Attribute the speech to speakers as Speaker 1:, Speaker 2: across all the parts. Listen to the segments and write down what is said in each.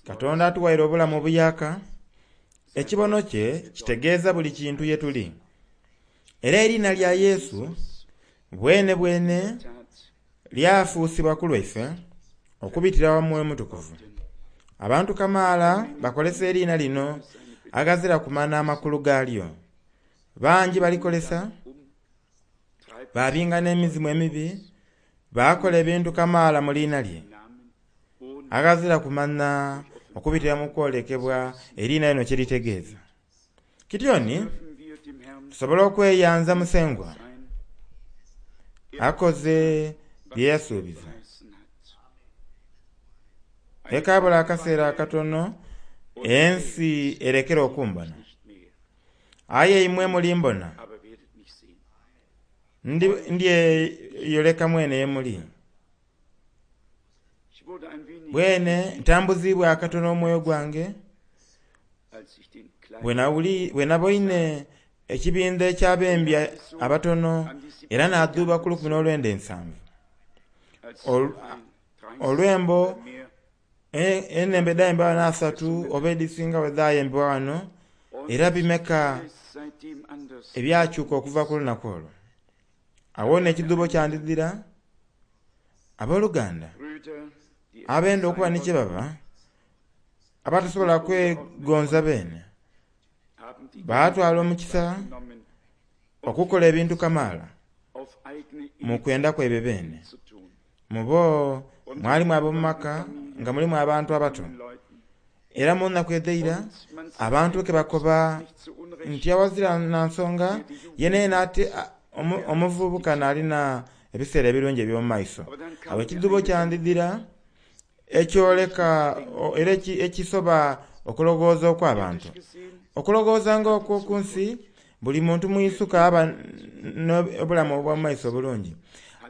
Speaker 1: Katonda atuwaire obulamu obuyaka, ekibono kye kitegeeza buli kintu ye tuli. Era eriina lya Yesu bwene bwene lyafuusibwa ku lwaife okubitira wa Mwoyo Mutukuvu. Abantu kamaala bakolesa eriina lino aghazira kumanya amakulu gaalyo. Bangi balikolesa, babinga n'emizimu emibi, baakola ebintu kamaala mu liina lye. Aghazira kumanya okubitira mu kwolekebwa eriina lino kye litegeeza. Kityoni tusobola okweyanza Musengwa akoze bye yasuubiza. Ekaabula akaseera akatono ensi erekere okumbona. Aye imwe mulimbona, ndyeyoleka mwene ye muli. Bwene ntambuziibwa akatono omwoyo gwange bwe naboine ekibindho eky'abembi abatono era naadhuuba ku 1970. Olwembo enhembo edhayembebwa ghano asatu oba edhisinga bwe dhayembebwa ghano era bimeka ebyakyuka okuva ku lunaku olwo. Agho ni ekidhuubo kyandidhira. Aboluganda abenda okuba ni kye baba, abatasobola kwegonza beene, baatwala omukisa okukola ebintu kamaala mu kwenda kwaibwe beene. Mu bo mwalimu ab'omu maka nga mulimu abantu abato. Era mu nnaku edh'eira abantu ke bakoba nti awazira na nsonga yenayena ati omuvubuka n'alina ebiseera ebirungi eby'omu maiso. Agho ekidhuubo kyandidhira ekyoleka era ekisoba okuloghooza okw'abantu. Okuloghooza ng'okwo ku nsi, buli muntu mwisuka aba n'obulamu obw'omu maiso obulungi.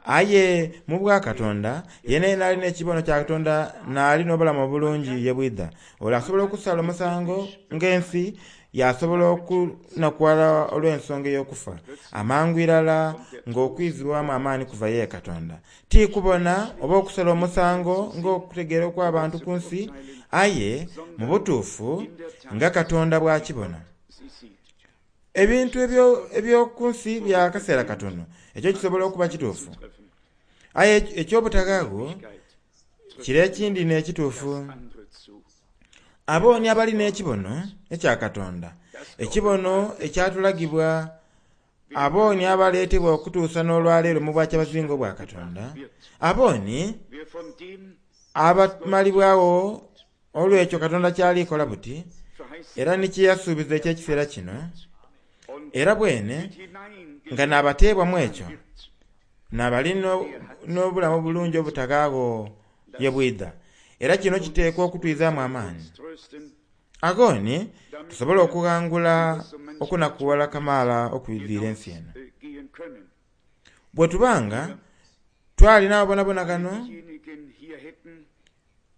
Speaker 1: Aye mu bwakatonda, yenayena ali n'ekibono kya Katonda n'ali n'obulamu obulungi ye bwidha. Ole asobola okusala omusango ng'ensi, yaasobola okunakughala olw'ensonga ey'okufa, amangu irala ng'okwizibwamu amaani kuva ye Katonda. Ti kubona oba okusala omusango ng'okutegeera okw'abantu ku nsi, aye mu butuufu nga Katonda bw'akibona. Ebintu eby'oku nsi bya kaseera katono, ekyo kisobola okuba kituufu. Aye eky'obutaghaagho kire ekindi n'ekituufu. Abo ni abali n'ekibono ekya Katonda, ekibono ekyatulagibwa abo ni abaleetebwa okutuusa n'olwaleero mu bwakyabazinga obwa Katonda, abo ni abamalibwagho olw'ekyo Katonda ky'ali kola buti, era ni kye yasuubiza eky'ekiseera kino, era bwene nga n'abateebwa mu ekyo, n'abali n'obulamu obulungi obutaghaagho ye bwidha. Era kino kiteekwa okutwizaamu amaani. Agho ni tusobola okughangula okunakughala kamaala okwidhwire ensi eno. Bwe tuba nga twali n'abo bonabona ghano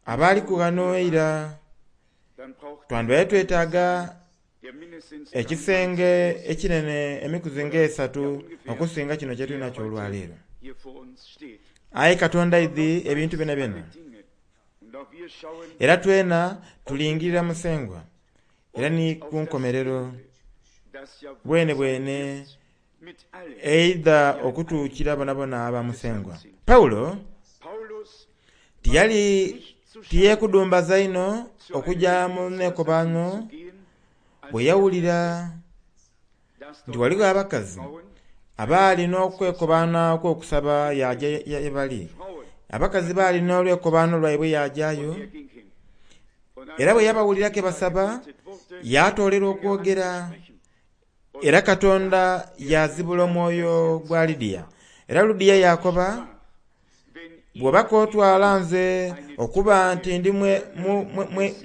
Speaker 1: abaaliku ghano eira, twandibaire twetaaga ekisenge ekinene emikuzi ng'esatu okusinga kino kye tuli nakyo olwaleero. Aye Katonda aidhi ebintu byonabyona. Era twena tulingirira Musengwa, era ni ku nkomerero bwenebwene eidha okutuukira bonabona aba Musengwa. Paulo tiyali tiyekudumbaza inho okuja mu nekobaano bwe yawulira nti ghaligho abakazi abaali n'okwekobaana okw'okusaba yaaja ye bali. Abakazi baali n'olwekobaano lwaibwe yaajayo, era bwe yabawulira ke basaba, yaatoolera okwogera. Era Katonda yaazibula omwoyo gwa Lidiya. Era Ludiya yaakoba, Bw'oba k'otwala nze okuba nti ndi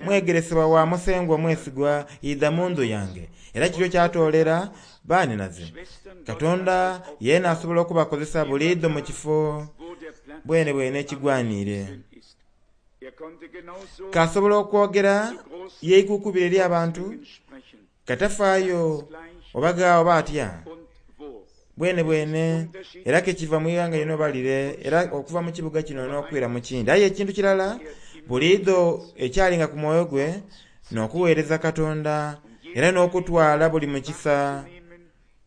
Speaker 1: mwegeresebwa wa Musengwa omwesigwa, idha mu ndhu yange. Era kityo kyatoolera baanhinaze. Katonda yeena asobola okubakozesa buliidho mu kifo bwenebwene ekigwaniire. K'asobola okwogera yeikukubira eri abantu, katafaayo oba gha oba atya. Bwenebwene, era ke kiva mu ighanga lino oba lire, era okuva mu kibuga kino n'okwira mu kindi. Aye ekintu kirala, Buliidho ekyalinga ku mwoyo gwe n'okuweereza Katonda era n'okutwala buli mukisa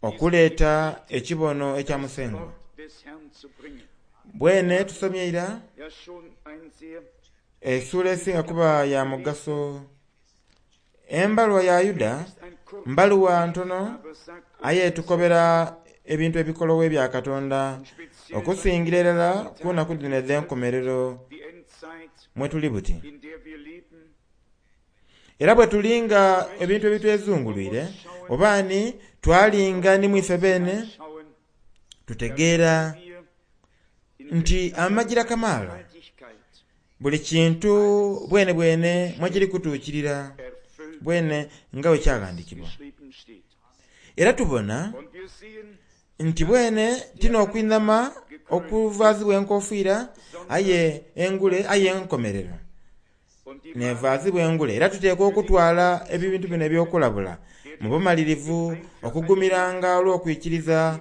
Speaker 1: okuleeta ekibono ekya Musengwa. Bwene tusomye ira essuula esinga kuba ya mugaso. Embaluwa ya Yuda mbaluwa ntono aye etukobera ebintu ebikolowo ebya Katonda okusingira irala ku nnaku dhino edh'enkomerero mwe tuli buti. Era bwe tulinga ebintu ebitwezungulwire oba ni twalinga ni mwife beene, tutegeera nti amagira kamaala buli kintu bwene bwene mwekiri kutuukirira bwene nga bwe kyaghandikibwa. Era tubona nti bwene ti n'okwinhama okuvaazibwa enkofiira aye engule aye enkomerero nevaazibwa engule. Era tuteekwa okutwala ebintu bino eby'okulabula mu bumalirivu, okugumiranga olw'okwikiriza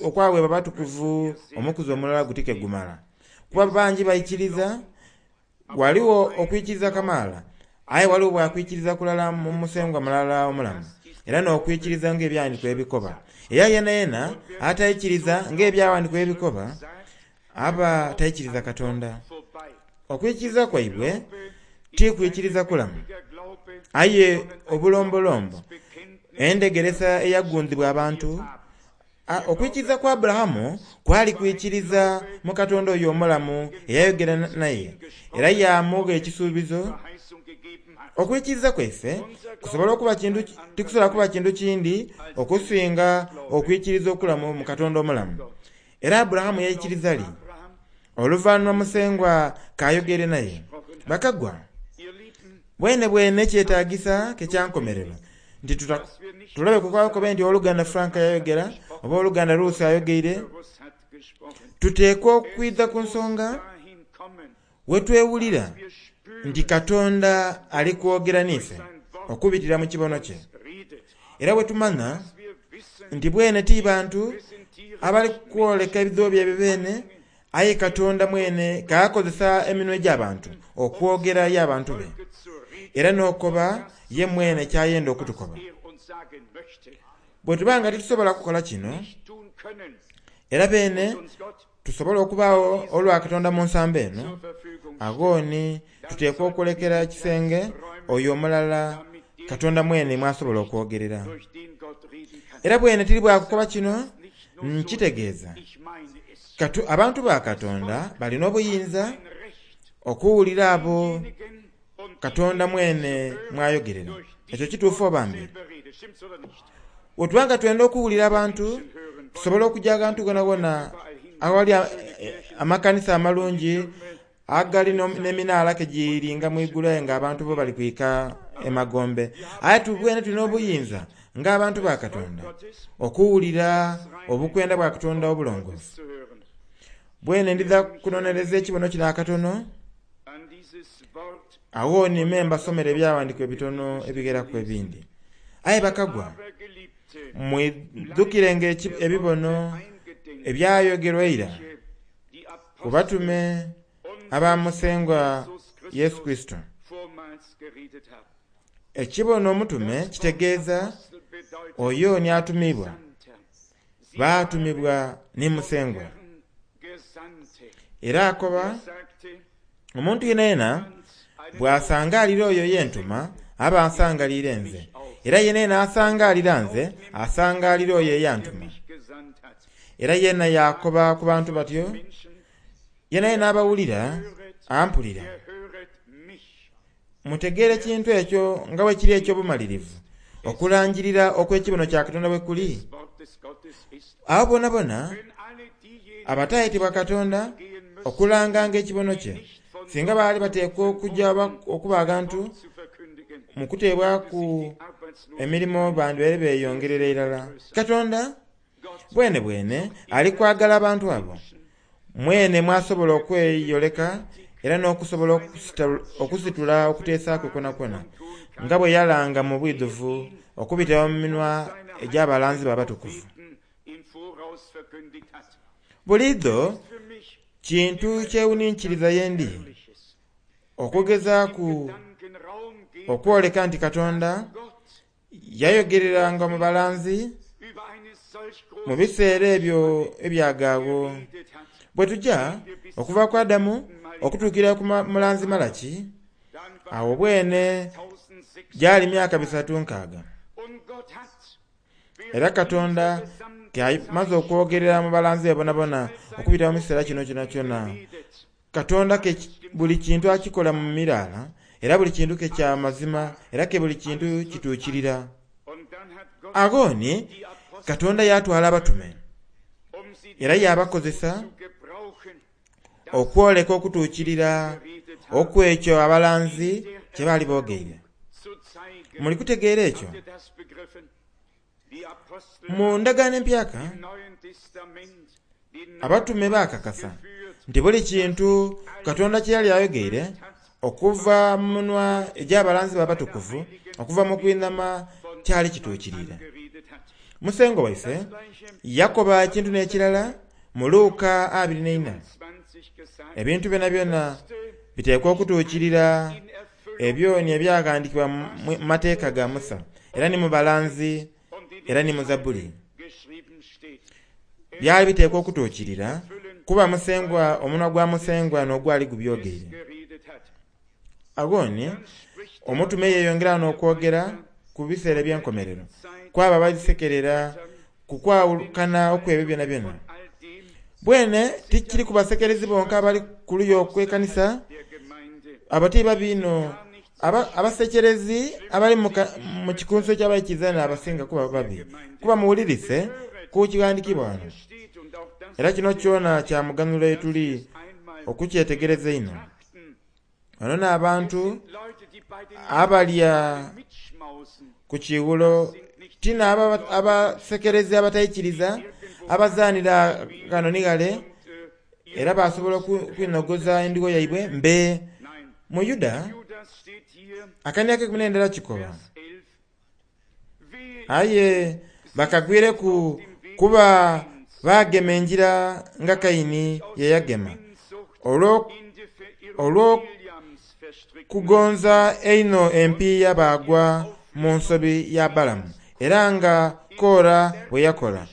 Speaker 1: okwaweebwa abatukuvu omukuzi omulala guti ke gumala. Kuba bangi baikiriza, ghaligho okwikiriza kamaala, aye ghaligho bwakwikiriza kulala mu musengwa mulala omulamu, era n'okwikiriza ng'ebyawandiikibwa ebikoba. Era yenayena ataikiriza ng'ebyawandiikibwa ebikoba, aba taikiriza Katonda. Okwikiriza kwaibwe ti kwikiriza kulamu, aye obulombolombo, endhegeresa eyagundhibwa abantu. Okwikiriza kwa Aburahamu kwali kwikiriza mu Katonda oyo omulamu eyayogera naye era yaamugha ekisuubizo. Okwikiriza kwaife kusobola okuba kintu tikusobola kuba kintu kindi okusinga okwikiriza okulamu mu Katonda omulamu. Era Aburahamu yaikiriza li? Oluvanhuma Musengwa k'ayogeire naye. Bakagwa, bwenebwene kyetaagisa ke kyankomerero nti tulobe kukoba nti Owoluganda Frank yayogera oba Owoluganda Ruth ayogeire. Tuteekwa okwidha ku nsonga wetwewulira nti Katonda ali kwogera n'ife okubitira mu kibono kye. Era bwetumanha nti bwene ti bantu abali kwoleka ebidhuubo byaibwe beene, aye Katonda mwene k'akozesa eminwe egy'abantu okwogera ye abantu be, era n'okoba ye mwene ky'ayenda okutukoba. Bwetuba nga titusobola kukola kino, era beene tusobole okubaagho olwa Katonda mu nsambo eno, agho ni tuteekwa okulekera ekisenge oyo omulala Katonda mwene mw'asobola okwogerera. Era bwene tiri bwa kukoba kino, nkitegeeza. Abantu ba Katonda bali n'obuyinza okuwulira abo Katonda mwene mw'ayogerera. Ekyo kituufu oba mbi? Bwetuba nga twenda okuwulira abantu, tusobola okuja aghantu ghonhaghonha aghali amakanisa amalungi agali n'eminaala ke giringa mu igulu aye nga abantu bo bali kwika e magombe. Aye tubwene tulina obuyinza ng'abantu ba Katonda okuwulira obukwenda bwa Katonda obulongoofu. Bwene ndidha kunonereza ekibono kino akatono, agho ni me mbasomere ebyaghandiikibwa ebitono ebigheraku ebindi. Aye bakagwa, mwidhukirenga ebibono ebyayogerwa eira ku batume aba Musengwa Yesu Kurisito. Ekibono omutume kitegeeza oyo ni atumiibwa. Baatumibwa ni Musengwa. Era akoba, omuntu yenayena bw'asangaalira oyo ye ntuma, aba asangaliire nze. Era yenayena asangaalira nze, asangaalira oyo eyantuma. Era yeena yaakoba ku bantu batyo, yenayena abawulira, ampulira. Mutegeere ekintu ekyo nga bwe kiri eky'obumalirivu, okulangirira okw'ekibono kya Katonda bwe kuli. Abo boonaboona abataayetebwa Katonda okulanganga ekibono kye, singa baali bateekwa okuja okuba aghantu mu kuteebwaku emirimo bandibaire beeyongerera irala. Katonda bwenebwene ali kwagala abantu abo. Mwene mwasobola okweyoleka era n'okusobola okusitula okuteesa kwe kwonakwona, nga bwe yalanga mu bwidhuvu okubitira mu minwa egy'abalanzi be abatukuvu. Buliidho kintu kyewuninkiriza ye ndi. Okugezaaku okwoleka nti Katonda yayogereranga mu balanzi mu biseera ebyo ebyagaagho. Bwe tuja okuva ku Adamu okutuukira ku mulanzi Malaki, awo bwene gyali myaka 360. Era Katonda amaze okwogerera mu balanzi be bonabona okubita mu kiseera kino kyonakyona. Katonda ke buli kintu akikola mu miraala, era buli kintu ke kya mazima, era ke buli kintu kituukirira. Agho ni Katonda yatwala abatume era yabakozesa okwoleka okutuukirira okw'ekyo abalanzi kye baali boogeire. Muli kutegeera ekyo? Mu ndagaano empyaka abatume baakakasa nti buli kintu Katonda kye yali ayogeire okuva mu munwa egy'abalanzi be abatukuvu okuva mu kwinhama kyali kituukiriire. Musengo waife yakoba ekintu n'ekirala mu Luka 24. Ebintu byonabyona biteekwa okutuukirira ebyo ni ebyaghandikibwa mu mateeka ga Musa, era ni mu balanzi, era ni mu Zabbuli. Byali biteekwa okutuukirira kuba Musengwa omunwa gwa Musengwa n'ogwali gubyogeire. Agho ni omutume yeeyongera n'okwogera ku biseera eby'enkomerero, ku abo abalisekerera ku kwawukana okw'ebyo byonabyona. Bwene tikiri ku basekerezi bonka abali ku luya okw'ekanisa, abo ti babi inho. Abasekerezi abali mu kikunsu eky'abaikiriza n'abasinga kuba babi, kuba muwulirise ku kighandikibwa ghano. Era kino kyona kya muganhulo ye tuli okukyetegereza einho. Bano n'abantu abalya ku kiiwulo ti n'abo abasekerezi abataikiriza abazaanira ghano ni ghale era basobola okwinogoza endigo yaibwe mbe. Mu Yuda akania ak'eikumi n'endala kikoba, Aye bakagwireku kuba baagema engira nga Kaini ye yagema, olw'okugonza einho empiiya baagwa mu nsobi ya Balamu, era nga Kora bwe yakola.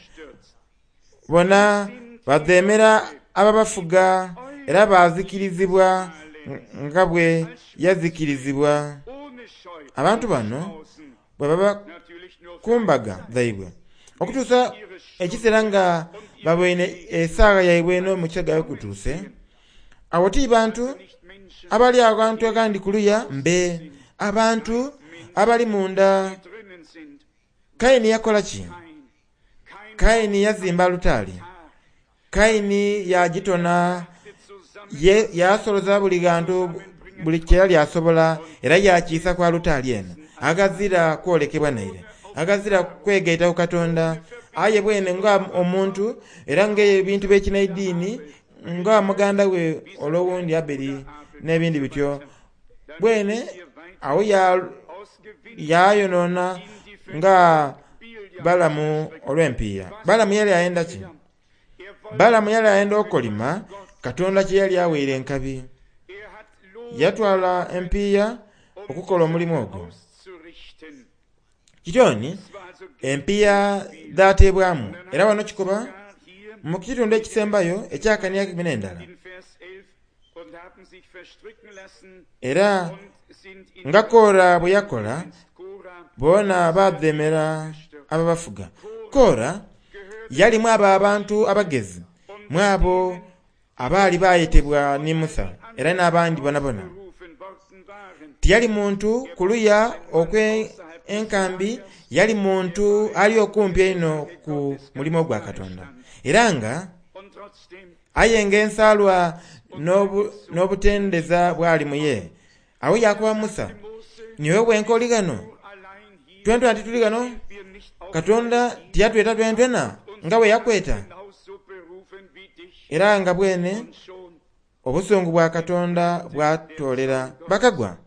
Speaker 1: Bona badheemera ababafuga era baazikirizibwa nga bwe yazikirizibwa. Abantu bano bwe baba ku mbaga dhaibwe okutuusa ekiseera nga baboine esaagha yaibwe n'omukisa gwaibwe gutuuse, abo ti bantu abali aghantu aghandi kuluya mbe, abantu abali munda. Kaini yakola ki? Kaini yazimba alutaari. Kaini yaagitona, yaasoloza buli ghantu buli kye yali asobola era yaakiisa ku alutaari eno. Aghazira kwolekebwa naire, aghazira kwegaita ku Katonda, aye bwene nga omuntu era ng'ebintu by'ekinaidiini, nga muganda we ole owundi Abeli n'ebindi bityo, bwene agho yaayonoona nga Balamu olw'empiiya. Balamu yali ayenda ki? Balamu yali ayenda okolima Katonda kye yali aweire enkabi. Yatwala empiiya okukola omulimu ogwo. Kityo ni empiiya dhateebwamu era wano kikoba mu kitundu ekisembayo eky'akania ak'eikumi n'endala. Era nga Kora bwe yakola, boona baadheemera ababafuga. Kora yali mu abo abantu abagezi, mu abo abaali baayetebwa ni Musa era n'abandi bonabona. Tiyali muntu ku luya okw'enkambi, yali muntu ali okumpi einho ku mulimo gwa Katonda. Era nga aye nga ensaalwa n'obutendeza bwali mu ye. Agho yaakoba Musa, niiwe wenka oli ghano? Twentwena tituli ghano? Katonda tiyatweta twentwena nga bwe yakweta? Era nga bwene obusungu bwa Katonda bwatoolera bakagwa.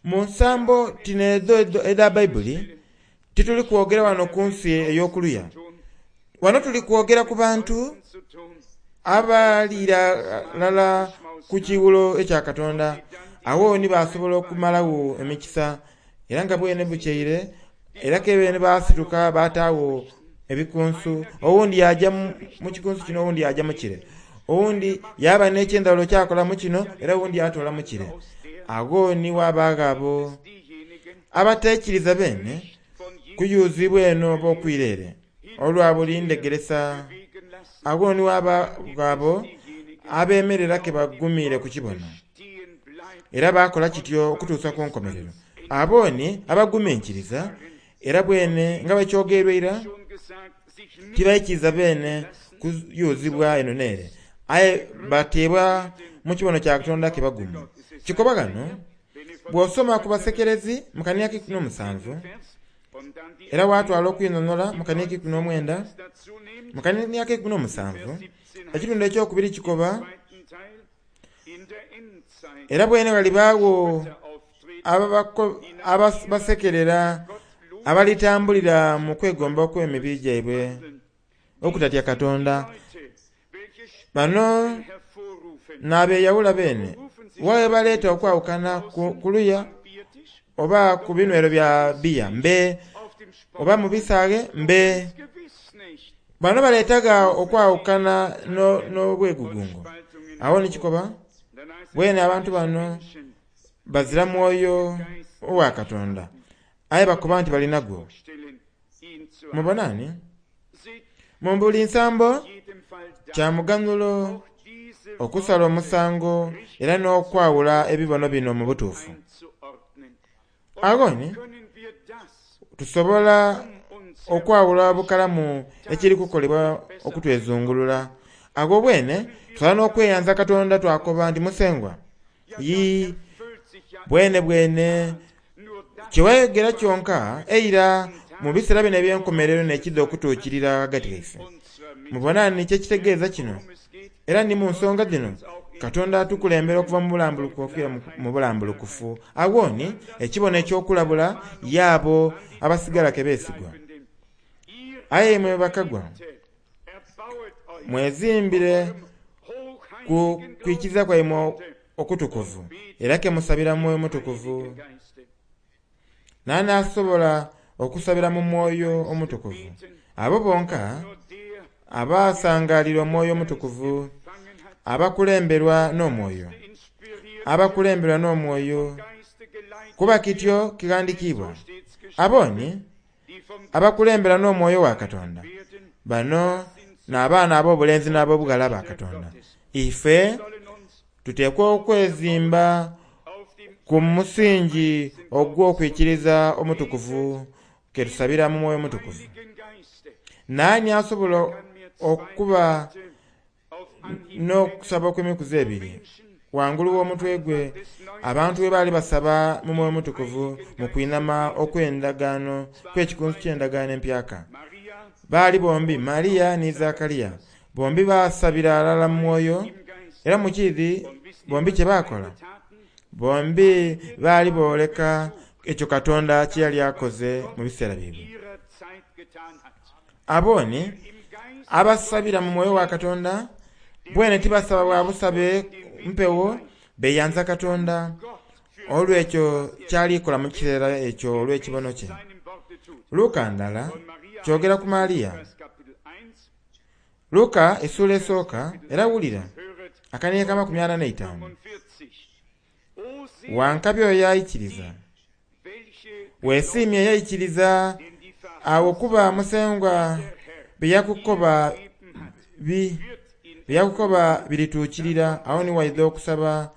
Speaker 1: Mu nsambo tino edho edha Baibuli, tituli kwogera wano ku nsi ey'okuluya. Wano tuli kwogera ku bantu abali ghalala ku kiwulo ekya Katonda. Awo ni basobola okumalagho emikisa, era nga bwene bukyeire, era ke beene baasituka baataagho ebikunsu. Owundi yaja mu kikunsu kino, owundi yaja mu kire, owundi yaba n'ekyendhawulo kyakola mu kino, era owundi yatoola mu kire. Agho ni wabaagho abo abateikiriza beene kuyuzibwa eno oba okwira ere olwa buli ndhegeresa. Agho ni wabaagho abo abeemerera ke bagumiire ku kibono, era baakola kityo okutuusa ku nkomerero. Abo ni abaguminkiriza, era bwene nga bwekyogerwa eira, tibaikiriza beene kuyuzibwa eno n'ere, aye bateebwa mu kibono kya Katonda ke bagumu. Kikoba ghano, bw'osoma ku basekerezi mu kania k'eikumi n'omusanvu, era watwala okwinhonhola mu kania k'eikumi n'omwenda, mu kania k'eikumi n'omusanvu, ekitundu ekyokubiri kikoba, era bwene ghalibaagho abasekerera abalitambulira mu kwegomba okw'emibiri gyaibwe okutatya Katonda. Bano n'abeeyawula beene, wawe baleeta okwawukana ku luya oba ku binywero bya biya mbe, oba mu bisaaghe mbe. Bano baleetaga okwawukana n'obwegugungo. Awo ni kikoba, bwene abantu bano bazira mwoyo owa Katonda, aye bakoba nti balinagwo. Mubonani? Mu buli nsambo kya muganhulo okusala omusango era n'okwawula ebibono bino mu butuufu. Agho ni tusobola okwawula bukalamu ekiri kukolebwa okutwezungulula. Agho bwene tusobola n'okweyanza Katonda twakoba nti Musengwa, yi bwene bwene kyewayogera kyonka eira mu biseera bino eby'enkomerero n'ekidha okutuukirira ghagati ghaife. Mubona ni kyekitegeeza kino, era ni mu nsonga dhino Katonda atukulembera okuva mu bulambulukufu okwira mu bulambulukufu. Agho ni ekibono eky'okulabula y'abo abasigala ke beesigwa. Aye imwe bakagwa, mwezimbire ku kwikiriza kwaimwe okutukuvu, era ke musabira mu Mwoyo Mutukuvu. N'anaasobola okusabira mu Mwoyo Omutukuvu? Abo bonka abasangalira Omwoyo Omutukuvu, abakulemberwa n'Omwoyo, abakulemberwa n'Omwoyo, kuba kityo kighandikiibwa. Abo ni abakulembera n'Omwoyo wa Katonda. Bano n'abaana ab'obulenzi n'ab'obughala ba Katonda. Ife tuteekwa okwezimba ku musingi ogw'okwikiriza omutukuvu ke tusabira mu Mwoyo Mutukuvu. Naani asobola okuba n'okusaba okw'emikuzi ebiri wangulu w'omutwe gwe, abantu bwe baali basaba mu Mwoyo Mutukuvu mu kwinama okw'endagaano kw'ekikunsu ky'endagaano empyaka. Baali bombi Maria ni Zakariya, bombi basabira alala mu mwoyo, era mu kiidhi bombi kye baakola. Bombi baali booleka ekyo Katonda kye yali akoze mu biseera byaibwe. Abo ni abasabira mu mwoyo wa Katonda, bwene tibasaba bwa busabe mpewo, beeyanza Katonda olw'ekyo kyalikola mu kiseera ekyo olw'ekibono kye. Luka ndala kyogera ku Maria. Luka essuula esooka era wulira akaniye ka 45. Wankabi oyo yaikiriza, weesiimye yaikiriza awo kuba Musengwa bye yakukoba birituukirira. Awo ni waidha okusaba.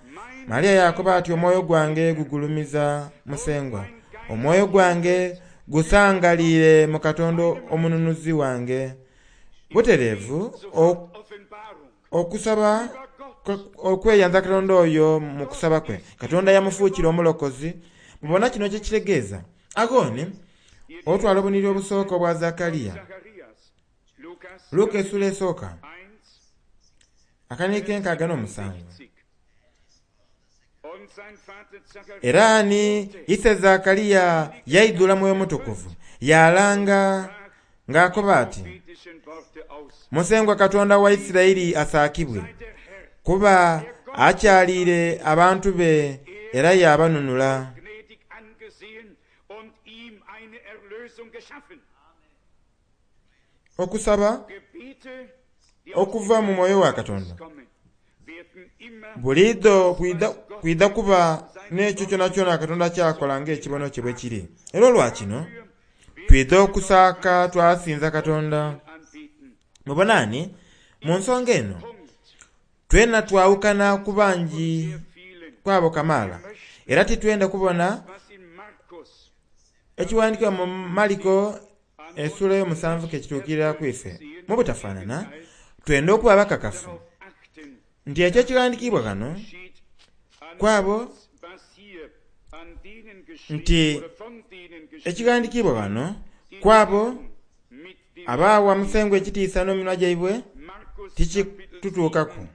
Speaker 1: Maria yakoba ati, omwoyo gwange gugulumiza Musengwa, omwoyo gwange gusangaliire mu Katonda omununuzi wange. Butereevu okusaba okweyanza Katonda oyo mu kusaba kwe. Katonda yamufuukira omulokozi. Mubona kino kye kitegeeza. Agho ni otwala obuniri obusooka obwa Zakariya. Luka essuula esooka akaniiko enkaaga n'omusanvu. Era ni ise Zakariya yaidhula Mwoyo Mutukuvu, yaalanga ng'akoba ati, Musengwa Katonda wa Isiraeli asaakibwe, kuba Akyaliire abantu be era yaabanunula. Okusaba okuva mu mwoyo wa Katonda buliidho kwidha kuba n'ekyo kyonakyona Katonda ky'akola ng'ekibono kye bwe kiri. Era olwa kino twidha okusaaka twasinza Katonda. Mubona ni mu nsonga eno twena twawukana ku bangi kwabo kamaala, era titwenda kubona ekiwandiikibwa mu Maliko essuula ey'omusanvu ke kituukirira ku ife. Mu butafaanana twenda okuba abakakafu nti ekyo ekighandiikibwa ghano kwabo nti ekighandiikibwa ghano kwabo abaawa Musengwa ekitiisa n'eminwa gyaibwe tikitutuukaku.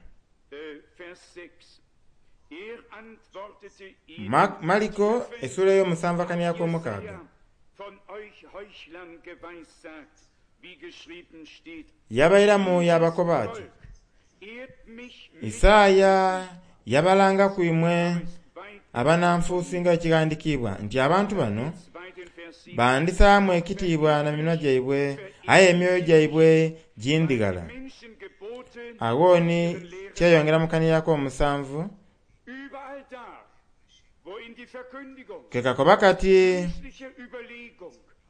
Speaker 1: Maliko essuula ey'omusanvu akania ak'omukaaga. Yabairamu yaabakoba ati, Isaaya yabalangaku imwe abananfuusi nga ekighandiikibwa nti abantu bano bandisaamu ekitiibwa na minwa gyaibwe, aye emyoyo gyaibwe gindhighala. Agho ni kyeyongera mu kania ak'omusanvu ke kakoba kati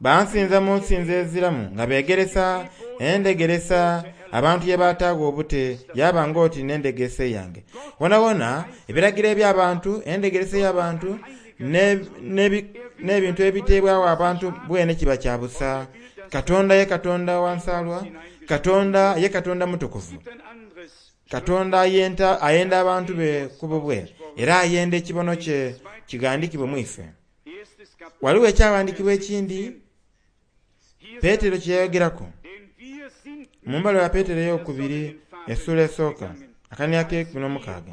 Speaker 1: bansinza mu nsinza eziramu nga beegeresa endegeresa abantu ye bataagho obute yaba ng'oti n'endegeresa eyange. Wonawona ebiragiro eby'abantu, endegeresa ey'abantu n'ebintu ebiteebwawo abantu bwene kiba kya busa. Katonda ye Katonda wa nsaalwa, Katonda ye Katonda mutukuvu. Katonda ayenda abantu be ku bubwe, era ayenda ekibono kye kighandiikibwe mu ife. Waliwo ekyawandiikibwa ekindi Petero kye yayogeraku mu mbaluwa ya Petero ey'okubiri essuula esooka akania ak'eikumi n'omukaaga,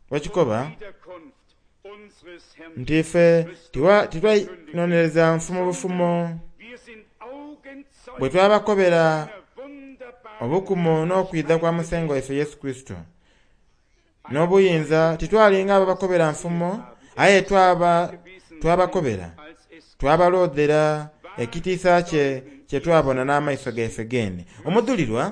Speaker 1: wekikoba nti ife titwainonereza nfumo bufumo bwe twabakobera obukumu n'okwidha kwa Musengwa waife Yesu Kurisito n'obuyinza. Titwalinga ababakobera nfumo, aye twabakobera twabaloodhera ekitiisa kye kye twabona n'amaiso gaife geene. Omudhulirwa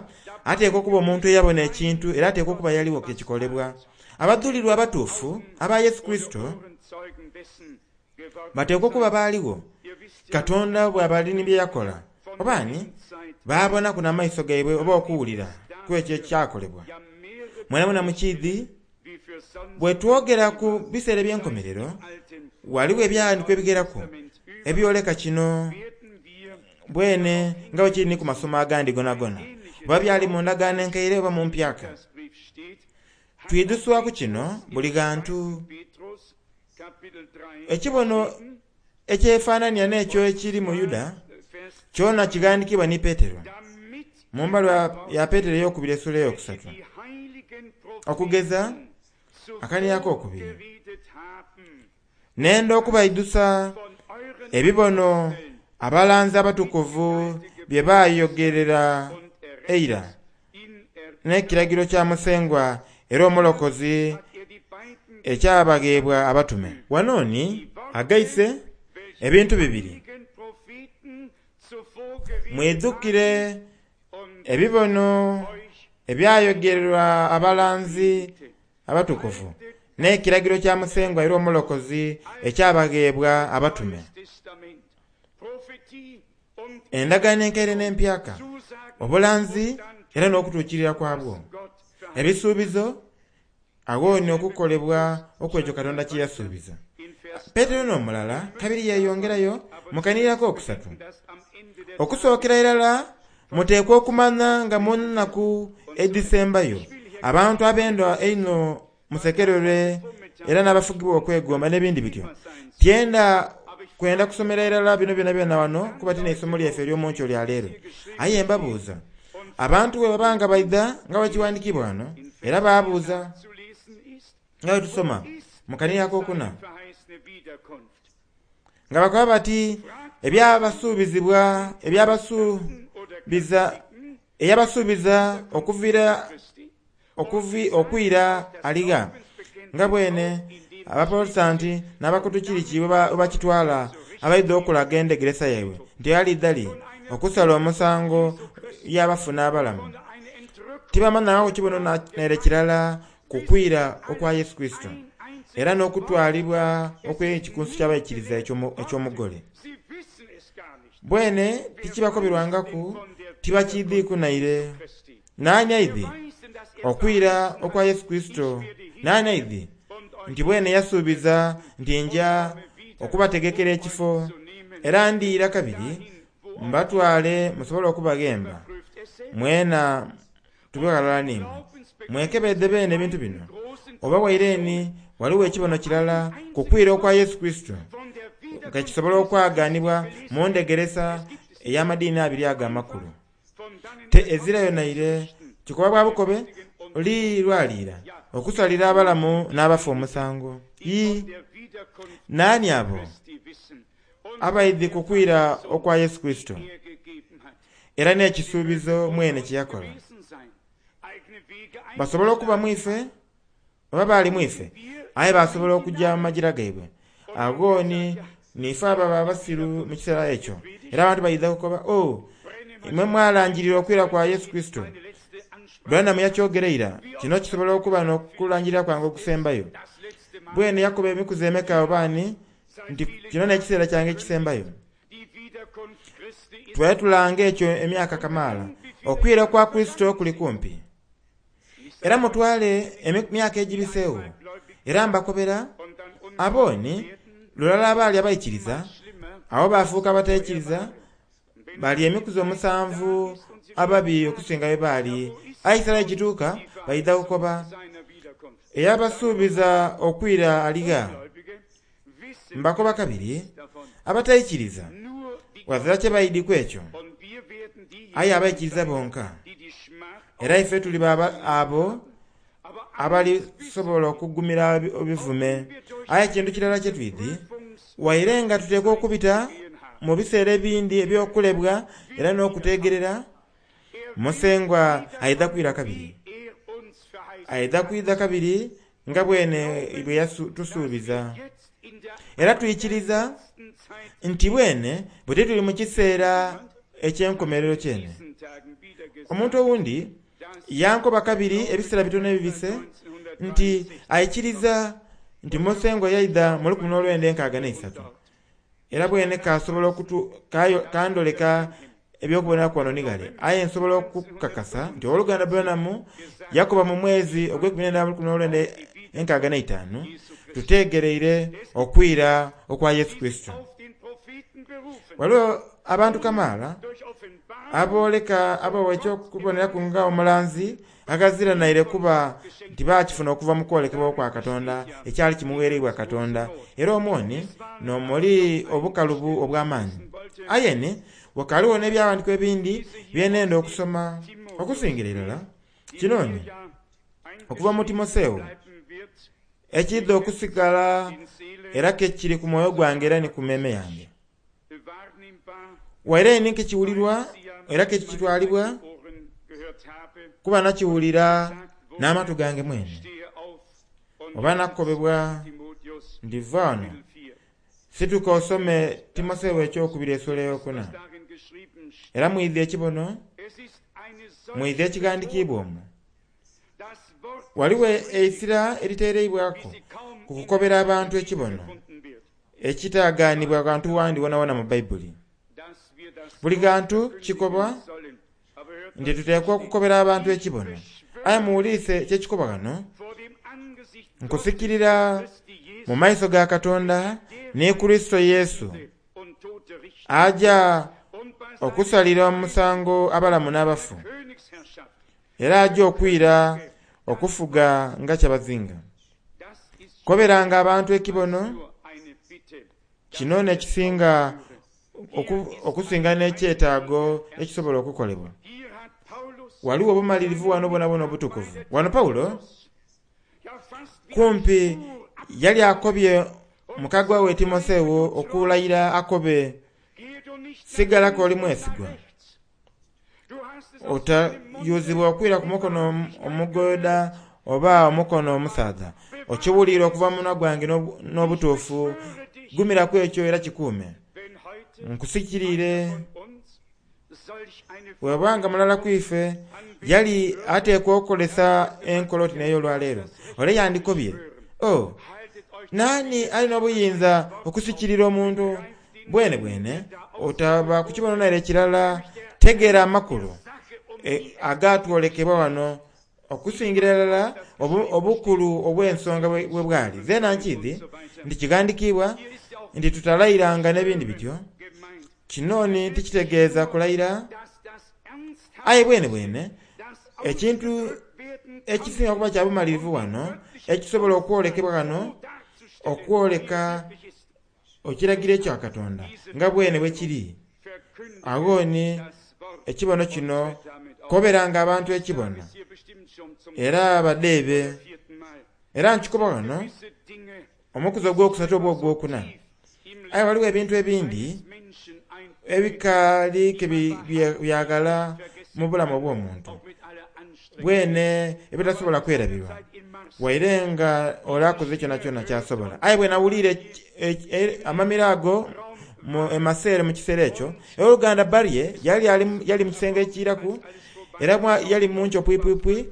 Speaker 1: ateekwa okuba omuntu eyabona ekintu era ateekwa okuba yaliwo kekikolebwa. Abadhulirwa abatuufu aba Yesu Kurisito bateekwa okuba baaliwo Katonda bw'aba ni bye yakola, oba ni baabonaku n'amaiso gaibwe oba okuwulira ku ekyo ekyakolebwa. Mwenamwena mukiidhi bwe twogera ku biseera eby'enkomerero, waliwo ebyawandiikibwa ebigheraku ebyoleka kino bwene nga bwe kiri ni ku masomo agandi gonagona, oba byali mu ndagaano enkaire oba mu mpyaka. Twidhuswaku kino buli ghantu. Ekibono ekyefaanania n'ekyo ekiri mu Yuda kyona kighandiikibwa ni Petero mu mbaluwa ya Petero ey'okubiri essuula eyokusatu, okugeza akania ak'okubiri. Nenda okubaidhusa ebibono abalanzi abatukuvu bye baayogerera eira n'ekiragiro kya Musengwa era Omulokozi ekyabagheebwa abatume. Wano ni agaise ebintu bibiri. Mwidhukire ebibono ebyayogererwa abalanzi abatukuvu n'ekiragiro kya Musengwa era Omulokozi ekyabagheebwa abatume. Endagaano enkaire n'empyaka, obulanzi era n'okutuukirira kwabwo, ebisuubizo agho ni okukolebwa okw'ekyo Katonda kye yasuubiza. Petero n'omulala kabiri yeeyongerayo mu kanhiriro ak'okusatu. Okusookera irala muteekwa okumanya nga mu nnaku edhisembayo abantu abenda einho musekererwe era n'abafugibwa okwegomba n'ebindi bityo. Tyenda kwenda kusomera irala bino byonabyona wano kuba ti n'eisomo lyaife ery'omunkyo lya leero. Aye mbabuuza, abantu bwe baba nga baidha nga bwe kiwandiikibwa wano, era baabuuza nga bwe tusoma mu kanhiriro ak'okuna, nga bakoba bati ebyabasuubizibwa ebyabasuubiza eyabasuubiza okuviira Okwira aligha nga bwene Abaprotestanti n'Abakatukiriki bwe bakitwala abaidha okulaga endhegeresa yaibwe nti alidha li okusala omusango y'abafu n'abalamu. Tibamanhagho kibono naire kirala ku kwira okwa Yesu Kurisito era n'okutwalibwa okw'ekikunsu ky'abaikiriza eky'omugole. Bwene tikibakoberwangaku, tibakiidhiiku naire. Naani aidhi okwira okwa Yesu Kurisito? Naani aidhi nti bwene yasuubiza nti nja okubategekera ekifo, era ndiira kabiri mbatwale musobole okubaghemba mwena tube ghalala n'imwe? Mwekebedhe beene ebintu bino, oba waire ni ghaligho ekibono kirala ku kwira okwa Yesu Kurisito nga kisobola okwagaanibwa mu ndhegeresa ey'amadiini abiri ago amakulu. Te ezirayo naire. Kikoba bwa bukobe li lwaliira okusalira abalamu n'abafu omusango. Ii, Naani abo abaidhi ku kwira okwa Yesu Kurisito era n'ekisuubizo mwene kye yakola? Basobola okuba mu ife oba baali mu ife, aye baasobola okuja mu magira gaibwe. Agho ni, niife ababa abasiru mu kiseera ekyo. Era abantu baidha kukoba, Oh, imwe mwalangirira okwira kwa Yesu Kurisito. Branham yakyogera ira. Kino kisobola okuba n'okulangirira kwange okusembayo. Bwene yakoba emikuzi emeka oba ani nti kino n'ekiseera kyange ekisembayo. Twali tulanga ekyo emyaka kamaala. Okwira kwa Kurisito kuli kumpi. Era mutwale emyaka egibiseegho, era mbakobera, abo ni lulala abaali abaikiriza, agho baafuuka abataikiriza, bali emikuzi omusanvu ababi okusinga bwe baali. Aye ekiseera bwe kituuka, baidha kukoba, Eyabasuubiza okwira ali gha? Mbakoba kabiri, abataikiriza ghazira kye baidhi ku ekyo, aye abaikiriza bonka. Era ife tuli abo abalisobola okugumira ebivume. Aye ekintu kirala kye twidhi, waire nga tuteekwa okubita mu biseera ebindi eby'okulebwa era n'okuteegerera, Musengwa aidha kwira kabiri. Aidha kwidha kabiri nga bwene bwe yatusuubiza. Era twikiriza nti bwene buti tuli mu kiseera eky'enkomerero kyene. Omuntu owundi yankoba kabiri ebiseera bitono ebibise nti aikiriza nti Musengwa yaidha mu 1963. Era bwene kaasobola okutu, kandholeka eby'okuboneraku ghano ni ghale. Aye nsobola okukakasa nti Ow'oluganda Branham yakoba mu mwezi ogw'eikumi n'endala mu 1965, Tuteegereire okwira okwa Yesu Kurisito. Ghaligho abantu kamaala abooleka, abawa eky'okuboneraku nga omulanzi aghazira naire kuba nti baakifuna okuva mu kwolekebwa okwa Katonda ekyali kimugheereibwa Katonda, era omwo ni n'omuli obukalubu obw'amaani. Aye ni ghakaligho n'Ebyawandiikibwa ebindi bye nenda okusoma, okusingira irala kino ni okuva mu Timotheo, ekiidha okusigala era ke kiri ku mwoyo gwange era ni ku meeme yange. Waire ni kekiwulirwa era kekitwalibwa kuba nakiwulira n'amatu gange mwene, oba nakobebwa nti va ghano, situka osome Timotheo Ekyokubiri esula eyokuna. Era mwidhi ekibono, mwidhi ekighandikiibwa omwo. Ghaligho eisira eriteereibwaku ku kukobera abantu ekibono ekitaagaanibwa ghantu ghandi wonawona mu Baibuli. Buli ghantu kikobwa nti tuteekwa okukobera abantu ekibono. Aye muwulirise ky'ekikoba ghano, Nkusikirira mu maiso ga Katonda ni Kurisito Yesu, aja okusalira omusango abalamu n'abafu, era aja okwira okufuga nga kyabazinga. Koberanga abantu ekibono kino n'ekisinga okusinga n'ekyetaago ekisobola okukolebwa. Ghaligho obumalirivu ghano bwonabwona obutukuvu. Ghano Paulo kumpi yali akobye mukagwa we Timotheo okulayira akobe, Sigala k'oli mwesigwa. Otayuzibwa okwira ku mukono omugoda oba omukono omusaadha. Okiwuliire okuva mu munwa gwange n'obutuufu. Gumiraku ekyo era kikuume. Nkusikiriire. Bw'oba nga mulala ku ife yali ateekwa okukozesa enkola oti n'ey'olwaleero, ole yandikobye, Oh, naani ali n'obuyinza okusikirira omuntu? Bwenebwene otaba ku kibono naire kirala. Tegeera amakulu agatwolekebwa wano okusingira irala obukulu obw'ensonga bwe bwali. Zeena nkiidhi nti kighandikiibwa nti tutalayiranga n'ebindi bityo. Kino ni tikitegeeza kulayira, aye bwenebwene ekintu ekisinga kuba kya bumalirivu wano, ekisobola okwolekebwa ghano, okwoleka ekiragiro ekya Katonda nga bwene bwe kiri. Agho ni ekibono kino koberanga abantu ekibono, era badheebe. Era nkikoba ghano omukuzi ogwokusatu oba ogwokuna. Aye ghaligho ebintu ebindi ebikaali ke byaghala mu bulamu obw'omuntu bwene ebitasobola kwerabirwa, waire nga ole akoze kyonakyona ky'asobola. Aye bwe nawuliire amamiro ago e Maseere mu kiseera ekyo, Owoluganda Barrie yali yali mu kisenge ekiiraku era yali mu nkyo pwipwipwi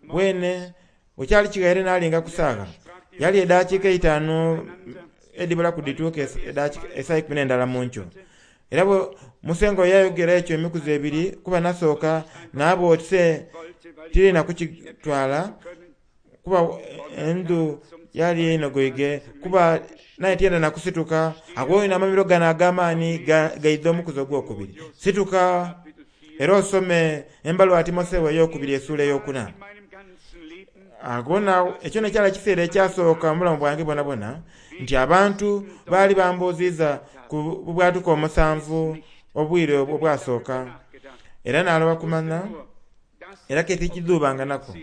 Speaker 1: bwene Bwe kyali kighaire naalinga ku saagha, yali edaakiika eitaanu edhibulaku dhituuke esaa eikumi n'endala mu nkyo. Era bwe Musengwa yayogera ekyo emikuzi ebiri, kuba nasooka naaba oti se tiri na kukitwala, kuba endhu yali enogoige, kuba naye tiyenda na kusituka. Agho inho amamiro gano ag'amaani gaidha omukuzi ogwokubiri. Situka era osome Embaluwa ya Timotheo ey'Okubiri esuula ey'okuna. Agho ekyo n'ekyali ekiseera ekyasooka mu bulamu bwange bwonabwona nti abantu baali bambuuziiza ku bubwatuka omusanvu obwire obwasooka. Era naaloba kumanha, era ke tikidhuubanga naku.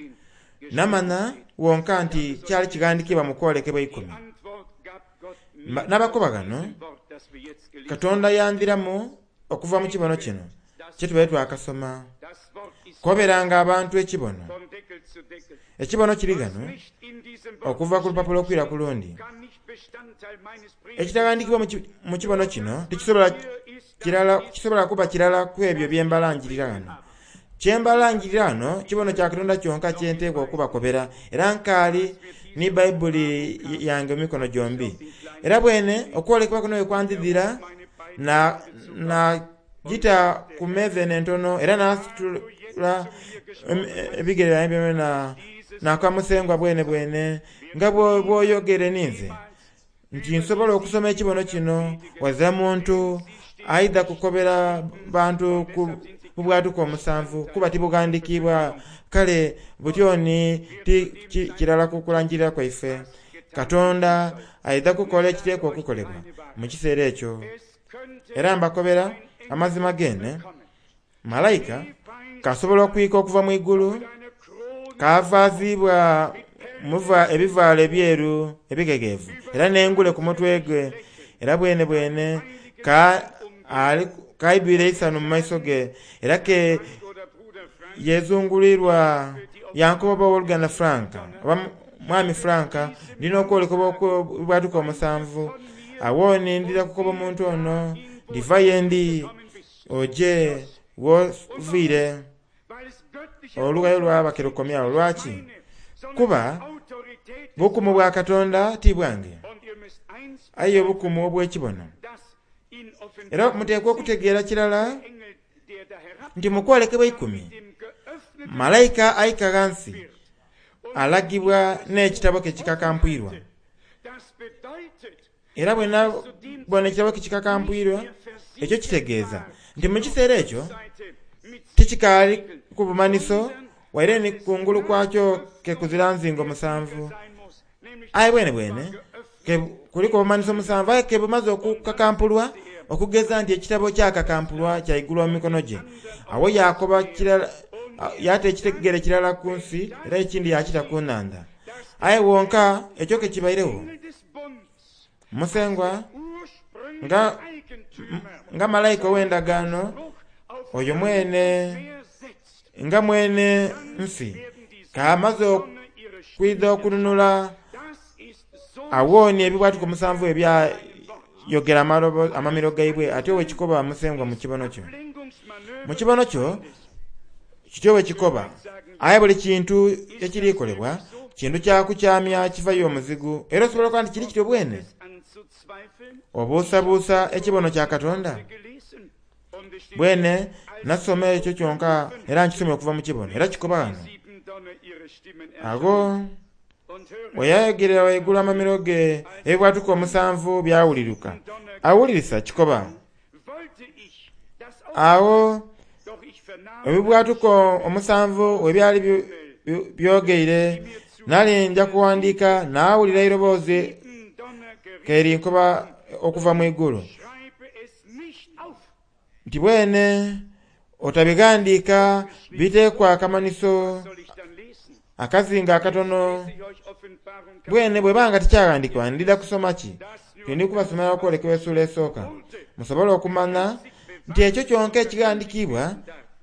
Speaker 1: Namanha wonka nti kyali kighandikiibwa mu kwolekebwa eikumi. N'abakoba ghano, Katonda yandhiramu okuva mu kibono kino kye tubaire twakasoma. Koberanga abantu ekibono. Ekibono kiri ghano okuva ku lupapula okwira ku lundi. Ekitaghandikibwa mu kibono kino tikisobola kuba kirala ku ebyo bye mbalangirira ghano. Kye mbalangirira ghano kibono kya Katonda kyonka kye nteekwa okubakobera, era nkaali ni Baibuli yange mu mikono gyombi. Era bwene okwolekebwa kuno bwe kwandhidhira, na, nagita ku meeza eno entono, era naasitula ebigere byange byonabyona, naakoba Musengwa bwenebwene, nga bw'oyogeire ninze, nti nsobola okusoma ekibono kino, ghazira muntu aidha kukobera bantu ku bubwatuka omusanvu, kuba tibughandikiibwa. Kale butyo ni ti kirala ku kulangirira kwaife. Katonda aidha kukola ekiteekwa okukolebwa mu kiseera ekyo. Era mbakobera amazima geene, Malaika k'asobola okwika okuva mu igulu, kaavaaziibwa mu ebivaalo ebyeru ebighegheevu, era n'engule ku mutwe gwe, era bwenebwene ka kaidhwire eisanhu mu maiso ge, era ke yeezungulwirwa. Yankoba oba Owoluganda Frank, oba Mwami Frank, ndi n'okwolekebwa okw'obwatuka omusanvu. Agho ni ndidha kukoba omuntu ono, Ndiva ye ndi. Oje gh'oviire. Olughayo lwaba ke lukomye agho. Lwaki? Kuba bukumu bwa Katonda ti bwange, aye obukumu obw'ekibono. Era muteekwa okutegeera kirala nti mu kwolekebwa eikumi, malaika aika ghansi alagibwa n'ekitabo ke kikakampwirwa. Era bwe nabona ekitabo kikakampwirwa, ekyo kitegeeza nti mu kiseera ekyo tikikaaliku bumanhiso, waire ni ku ngulu kwakyo ke kuzira nzingo musanvu. Aye bwenebwene ke kuliku obumanhiso musanvu, aye ke bumaze okukakampulwa, okugeza nti ekitabo kyakakampulwa kyaigulwa mu mikono gye. Agho yaakoba kirala, yaata ekigere kirala ku nsi era ekindi yaakita ku nhandha. Aye wonka ekyo ke kibairegho, Musengwa, nga, nga malaika ow'endagaano, oyo mwene. Nga mwene nsi k'amaze okwidha okununula awonie ebibwatuka omusanvu ebyayogera amamiro gaibwe, atyo bwe kikoba Musengwa mu kibono kyo. Mu kibono kyo kityo bwe kikoba. Aye buli kintu ekiri kolebwa kintu kya kukyamya kiva y'omuzigu. Era osobola okuba nti kiri kityo bwene. Obuusabuusa ekibono kya Katonda? Bwene nasoma ekyo kyonka era nkisomye okuva mu kibono era kikoba ghano. Agho bwe yayogerera ghaigulu amamiro ge ebibwatuka omusanvu byawuliruka. Awulirisa kikoba. Agho ebibwatuka omusanvu bwe byali byogeire, nali nja kuwandiika naawulira eiroboozi ke linkoba okuva mu igulu nti bwene otabighandiika biteekwa akamanhiso akazinga akatono. Bwene bw'eba nga tikyaghandiikibwa ndidha kusoma ki? Tindi kubasomera okwolekebwa essuula esooka, musobole okumanha nti ekyo kyonka ekighandiikibwa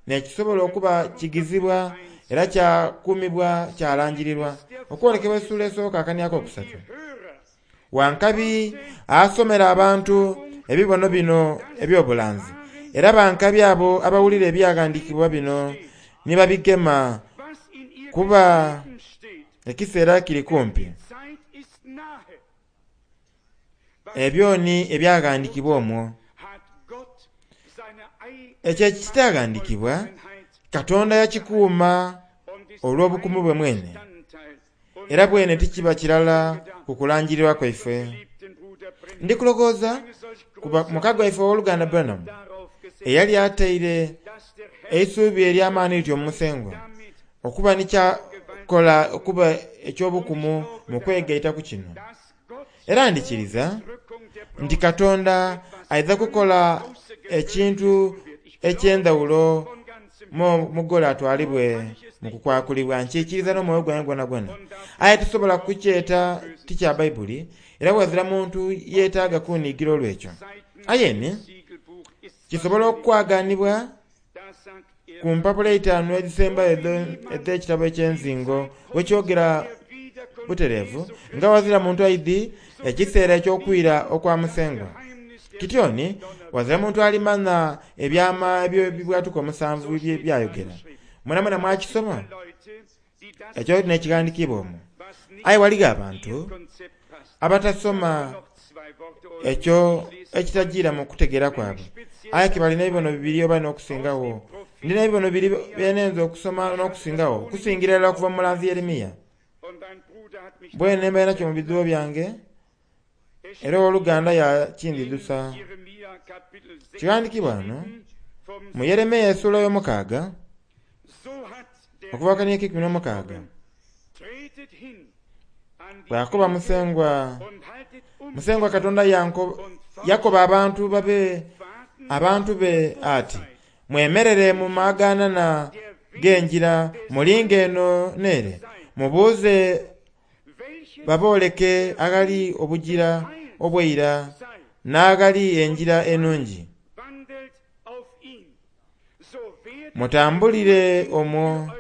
Speaker 1: n'ekisobola okuba kigizibwa era kyakuumibwa kyalangirirwa. Okwolekebwa essuula esooka akania akokusatu. Wankabi asomera abantu ebibono bino eby'obulanzi, era bankabi abo abawulira ebyaghandiikibwa bino ni babigema, kuba ekiseera kiri kumpi. Ebyo ni ebyaghandiikibwa omwo. Ekyo ekitaghandiikibwa, Katonda yakikuuma olw'obukumu bwe mwene, era bwene tikiba kirala ku kulangirirwa kwaife. Ndi kulowooza ku muka gwaife ow'oluganda Branham eyali ataire eisuubi ery'amaani lityo mu Musengwa okuba ni kyakola okuba eky'obukumu mu kwegaita ku kino. Era ndikiriza nti Katonda aidha kukola ekintu eky'endhawulo mugole atwalibwe mu kukwakulibwa. Nkiikiriza n'omwoyo gwange gwonagwona. Aye tisobola kukyeta ti kya Baibuli, era ghazira muntu yeetaaga kunhiigira olw'ekyo. Aye ni kisobola okwaganibwa ku mpapula eitaanu edhisembayo edh'ekitabo eky'enzingo bwekyogera butereevu nga ghazira muntu aidhi ekiseera eky'okwira okwa Musengwa. Kityo ni ghazira muntu alimanha ebyama eby'ebibwatuka omusanvu bye byayogera. Mwenamwena mwakisoma? Ekyo n'ekighandikiibwa omwo. Aye ghaligho abantu abatasoma ekyo ekitajiira mu kutegeera kwabwe. Aye ke balina ebibono bibiri oba n'okusingagho. Ndi n'ebibono bibiri bye nhenze okusoma n'okusingagho, okusingira irala okuva mu mulanzi Yeremia. Bwene mbaire nakyo mu bidhuubo byange, era owoluganda yakindhidhusa. Kighandikiibwa ghano mu Yeremia essuula ey'omukaaga, okuva ku kania ak'eikumi n'omukaaga, bw'akoba Musengwa, Musengwa Katonda yakoba abantu babe abantu be ati, Mwemerere mu maagaanana g'engira mulinge eno n'ere, mubuuze babooleke aghali obugira obw'eira n'aghali engira enungi. Mutambulire omwo,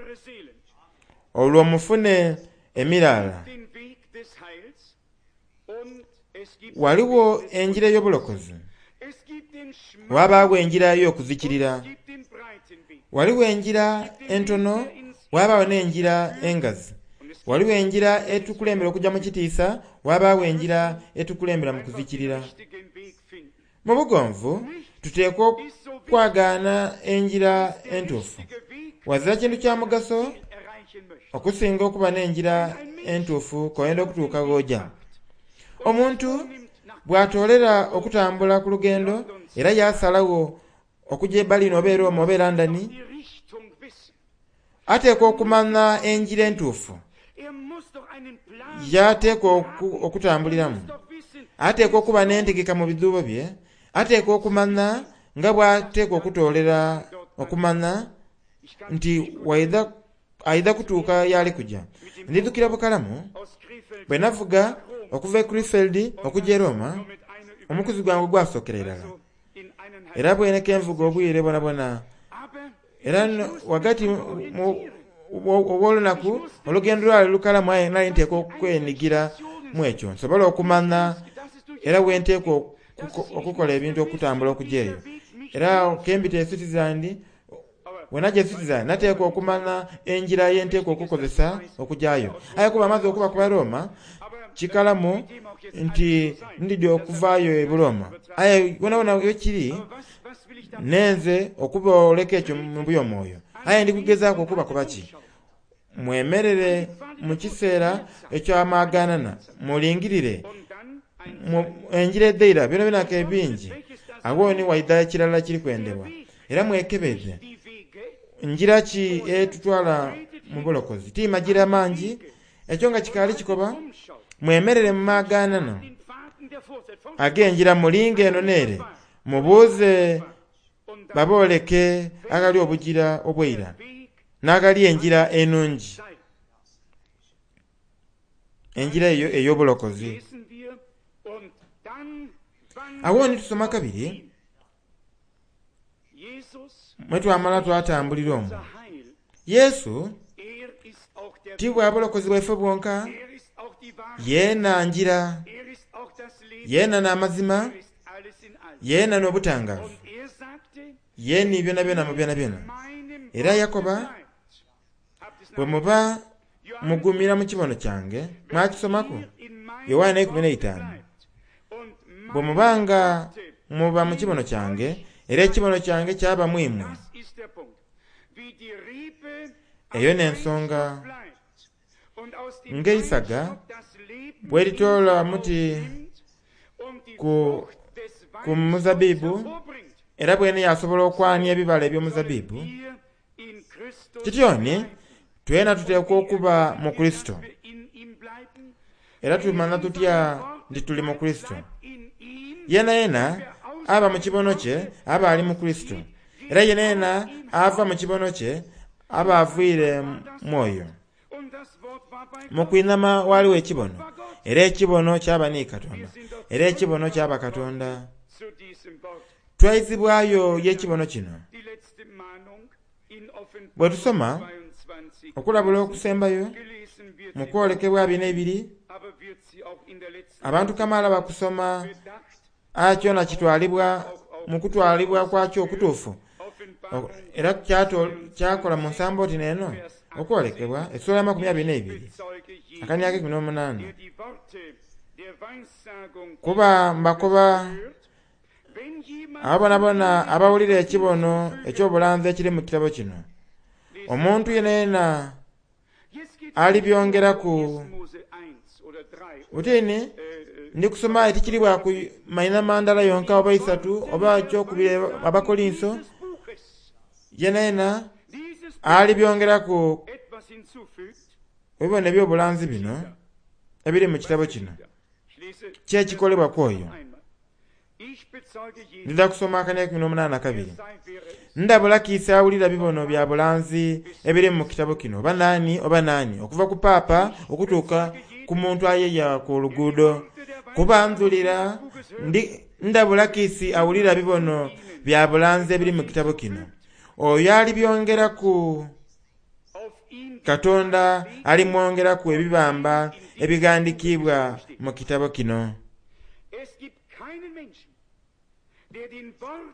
Speaker 1: olwo mufune emiraala. Ghaligho engira ey'obulokozi, ghabagho engira ey'okuzikirira. Ghaligho engira entono, ghabagho n'engira engazi. Ghaligho engira etukulembera okugya mu kitiisa, ghabagho engira etukulembera mu kuzikirira. Mu bugonvu tuteekwa okwagaana engira entuufu. Ghazira kintu kya mugaso okusinga okuba n'engira entuufu k'oyenda okutuuka gh'oja. Omuntu bw'atoolera okutambula ku lugendo era yaasalagho okuja e Berlin oba e Roma oba e London, ateekwa okumanha engira entuufu y'ateekwa okutambuliramu. Ateekwa okuba n'entegeka mu bidhuubo bye, ateekwa okumanha nga bw'ateekwa okutoolera okumanha nti aidha kutuuka y'ali kuja. Ndidhukira bukalamu bwe navuga okuva e Krefeld okuja e Roma, omukuzi gwange ogwasookera irala. Era bwene ke nvuga obwire bwonabwona. Era ghagati ow'olunaku olugendo lwali lukalamu aye nali nteekwa okwenigira mu ekyo nsobole okumanha era we nteekwa okukola ebintu okutambula okuja eyo. Era kembita e Switzerland, bwe naja e Switzerland nateekwa okumanya enjira ye nteekwa okukozesa okujayo. Aye kuba amaze okuba ku Roma, kikalamu nti ndidhi okuvaayo e Buroma. Aye wonawona wekiri, nenze okubooleka ekyo mu by'omwoyo. Aye ndi kugezaaku okuba kuba ki? Mwemerere mu kiseera eky'amaganana, mulingirire enjira edheira byona byona bingi. Agho ni waidha ekirala kiri kwendebwa. Era mwekebeze njira ki etutwala mu bulokozi. Ti magira mangi, ekyo nga kikaali kikoba, mwemerere mu maganana ag'enjira mulinga eno n'ere, mubuuze babooleke aghali obugira obweira n'aghali enjira enungi, enjira eyo ey'obulokozi. Agho ni tusoma kabiri, mwe twamala twatambulira omwo. Yesu ti bwa bulokozi bwaife bwonka, yeena njira, yeena n'amazima, yeena n'obutangaavu, yeeni byona byona mu byona byona. Era Yakoba, bwe muba mugumira mu kibono kyange, mwakisomaku Yowaana 15. Bwe mubanga muba mu kibono kyange, era ekibono kyange kyaba mu imwe. Eyo n'ensonga ng'eisaga bwe litoola muti ku muzabibu, era bwene yasobola okwania ebibala eby'omuzabibu. Kityoni twena tuteekwa okuba mu Kristo. Era tumanya tutya nti tuli mu Kristo. Yena yena aba mu kibono kye aba ali mu Kristo. Era yena yena ava mu kibono kye aba aviire mwoyo. Mu kwinhama waliwo ekibono, era ekibono kyaba ni Katonda, era ekibono kyaba Katonda. Twaizibwayo y'ekibono kino. Bwe tusoma okulabula okusembayo mu kwolekebwa 22, abantu kamaala bakusoma aye kyona kitwalibwa mu kutwalibwa kwakyo okutuufu. Era kyakola mu nsambo oti n'eno okwolekebwa essula 22 akaniaka 18. Kuba mbakoba abo bonabona abawulira ekibono eky'obulanzi ekiri mu kitabo kino, omuntu yenayena alibyongeraku. Butini ndi kusoma etikiribwa ku maina mandala yonka oba isatu oba ekyokubiri Abakorinso, yenayena alibyongeraku ebibono eby'obulanzi bino ebiri mu kitabo kino kyekikolebwa ku oyo. Ndidha kusoma akania 18 kabiri. Ndabula kiisi awulira bibono bya bulanzi ebiri mu kitabo kino, oba naani okuva ku paapa okutuuka ku muntu ayeya ku luguudo. Kuba ndhulira ndabula kiisi awulira bibono bya bulanzi ebiri mu kitabo kino. Oyo alibyongeraku Katonda alimwongeraku ebibamba ebighandikiibwa mu kitabo kino.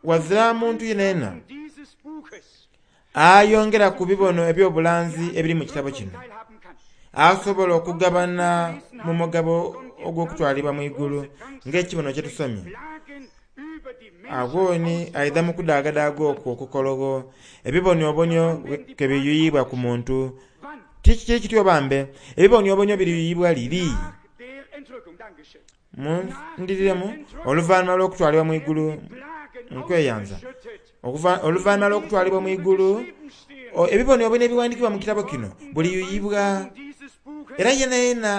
Speaker 1: Wazira muntu yenayena ayongera ku bibono eby'obulanzi ebiri mu kitabo kino asobola okugabana mu mugabo ogw'okutwalibwa mu igulu ng'ekibono kye tusomye. Agho ni aidha mu kudaagadaaga okwo okukologho ebiboniobonio ke biyuyibwa ku muntu. Kiki kityo bambe, ebiboniobonio biriyuyibwa liri. Mundiriremu oluvannyuma lw'okutwalibwa mu igulu nkweyanza. Oluvannyuma lw'okutwalibwa mu igulu, ebiboniobonio ebiwandiikibwa mu kitabo kino buliyuyibwa. Era yena yena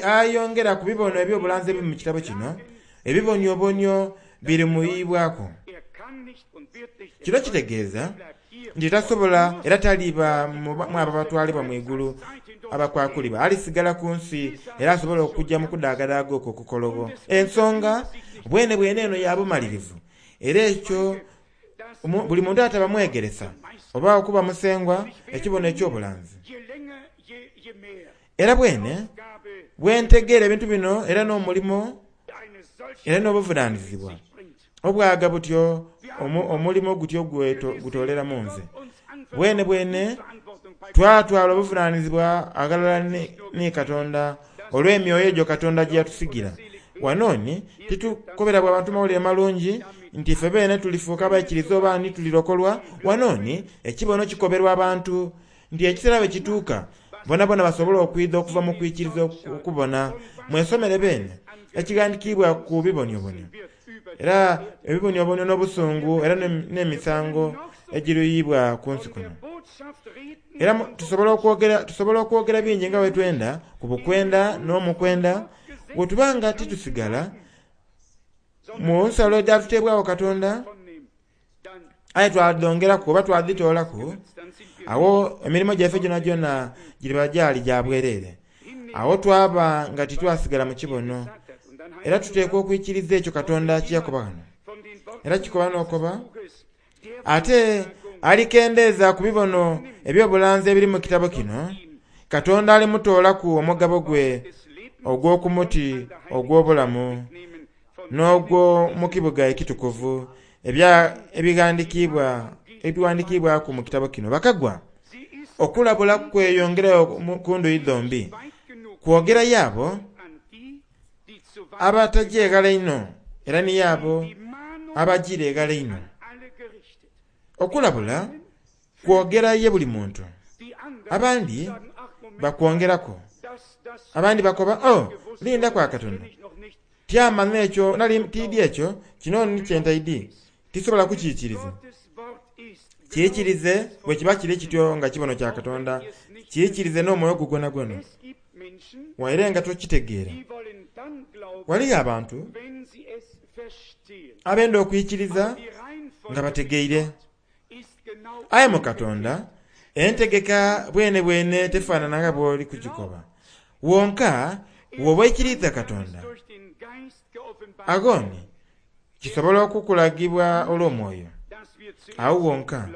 Speaker 1: ayongera ku bibono eby'obulanzi ebiri mu kitabo kino, ebiboniobonio birimuyibwaku. Kino kitegeeza nti tasobola era taliba mu abo abatwalibwa mu igulu abakwakulibwa. Alisigala ku nsi era asobola okujja mu kudaagadaaga okwo okukologho. Ensonga bwene bwene eno ya bumalirivu. Era ekyo Buli muntu ataba mwegeresa oba okuba musengwa ekibono eky'obulanzi. Era bwene bwentegeera ebintu bino era n'omulimo era n'obuvunaanyizibwa obwaga butyo omulimo gutyo gutolera mu nze. Bwene bwene twatwala obuvunaanyizibwa aghalala ni Katonda olw'emyoyo egyo Katonda gye yatusigira. Wano ni titukobera bwa bantu mawulire malungi nti ife beene tulifuuka abaikiriza oba ni tulirokolwa. Wano ni ekibono kikoberwa abantu nti ekiseera bwe kituuka bonabona basobola okwidha okuva mu kwikiriza okubona. Mwesomere beene ekighandikiibwa ku bibonyobonyo, era ebibonyobonyo n'obusungu era n'emisango egiruyibwa ku nsi kuno. Era tusobola okwogera bingi nga bwe twenda ku bukwenda n'omukwenda, bwe tuba nga titusigala mu nsalo edhatuteebwagho Katonda, aye twadhongeraku oba twadhitoolaku, awo emirimo gyaife gyonagyona giriba gyali gya bwereere. Awo twaba nga titwasigala mu kibono. Era tuteekwa okwikiriza ekyo Katonda kye yakoba ghano. Era kikoba n'okoba, ate alikendeeza ku bibono eby'obulanzi ebiri mu kitabo kino, Katonda alimutoolaku omugabo gwe ogw'oku muti ogw'obulamu n'ogwo mu kibuga ekitukuvu ebighandikiibwaku mu kitabo kino. Bakagwa okulabula kweyongerayo ku ndhuyi dhombi, kwogera yaabo abataja eghala einho era ni yaabo abajiira eghala einho. Okulabula kwogera ye buli muntu. Abandi bakwongeraku, abandi bakoba, oh, linda kwa Katonda, tyamanya ekyo nali tiidi ekyo kino ni kyentaidi, tisobola kukiikiriza. Kiikirize bwe kiba kiri kityo nga kibono kya Katonda, kiikirize n'omwoyo gwo gwonagwona, waire nga tokitegeera. Waliyo abantu abenda okwikiriza nga bategeire. Aye mu Katonda entegeka bwene bwene tefaanana nga bw'oli kugikoba. Wonka bw'oba oikiriza Katonda, aghoni kisobola okukulagibwa olw'omwoyo. Awo wonka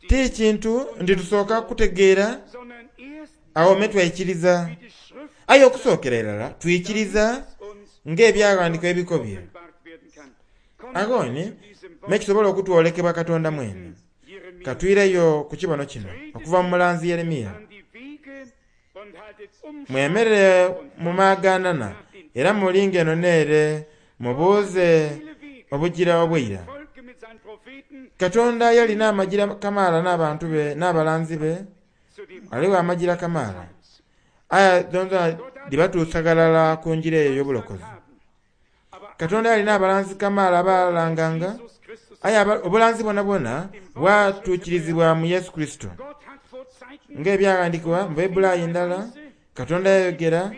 Speaker 1: ti kintu nti tusooka kutegeera awo me twaikiriza. Aye okusookera irala twikiriza ng'ebyaghandiiko ebikobye. Aghoni me kisobola okutwolekebwa Katonda mwene. Katwireyo ku kibono kino okuva mu mulanzi Yeremiya. Mwemerere mu maaganana era mulinge eno n'ere, mubuuze obugira obw'eira. Katonda yalina amagira kamaala n'abantu be n'abalanzi be, ghaligho amagira kamaala. Aye dhonadhona dhibatuusa ghalala ku ngira eyo ey'obulokozi. Katonda yalina abalanzi kamaala abalanganga, aye obulanzi bwonabwona bwatuukirizibwa mu Yesu Kurisito. Ng'ebyaghandiikibwa mu Baibuli ndala, Katonda yayogera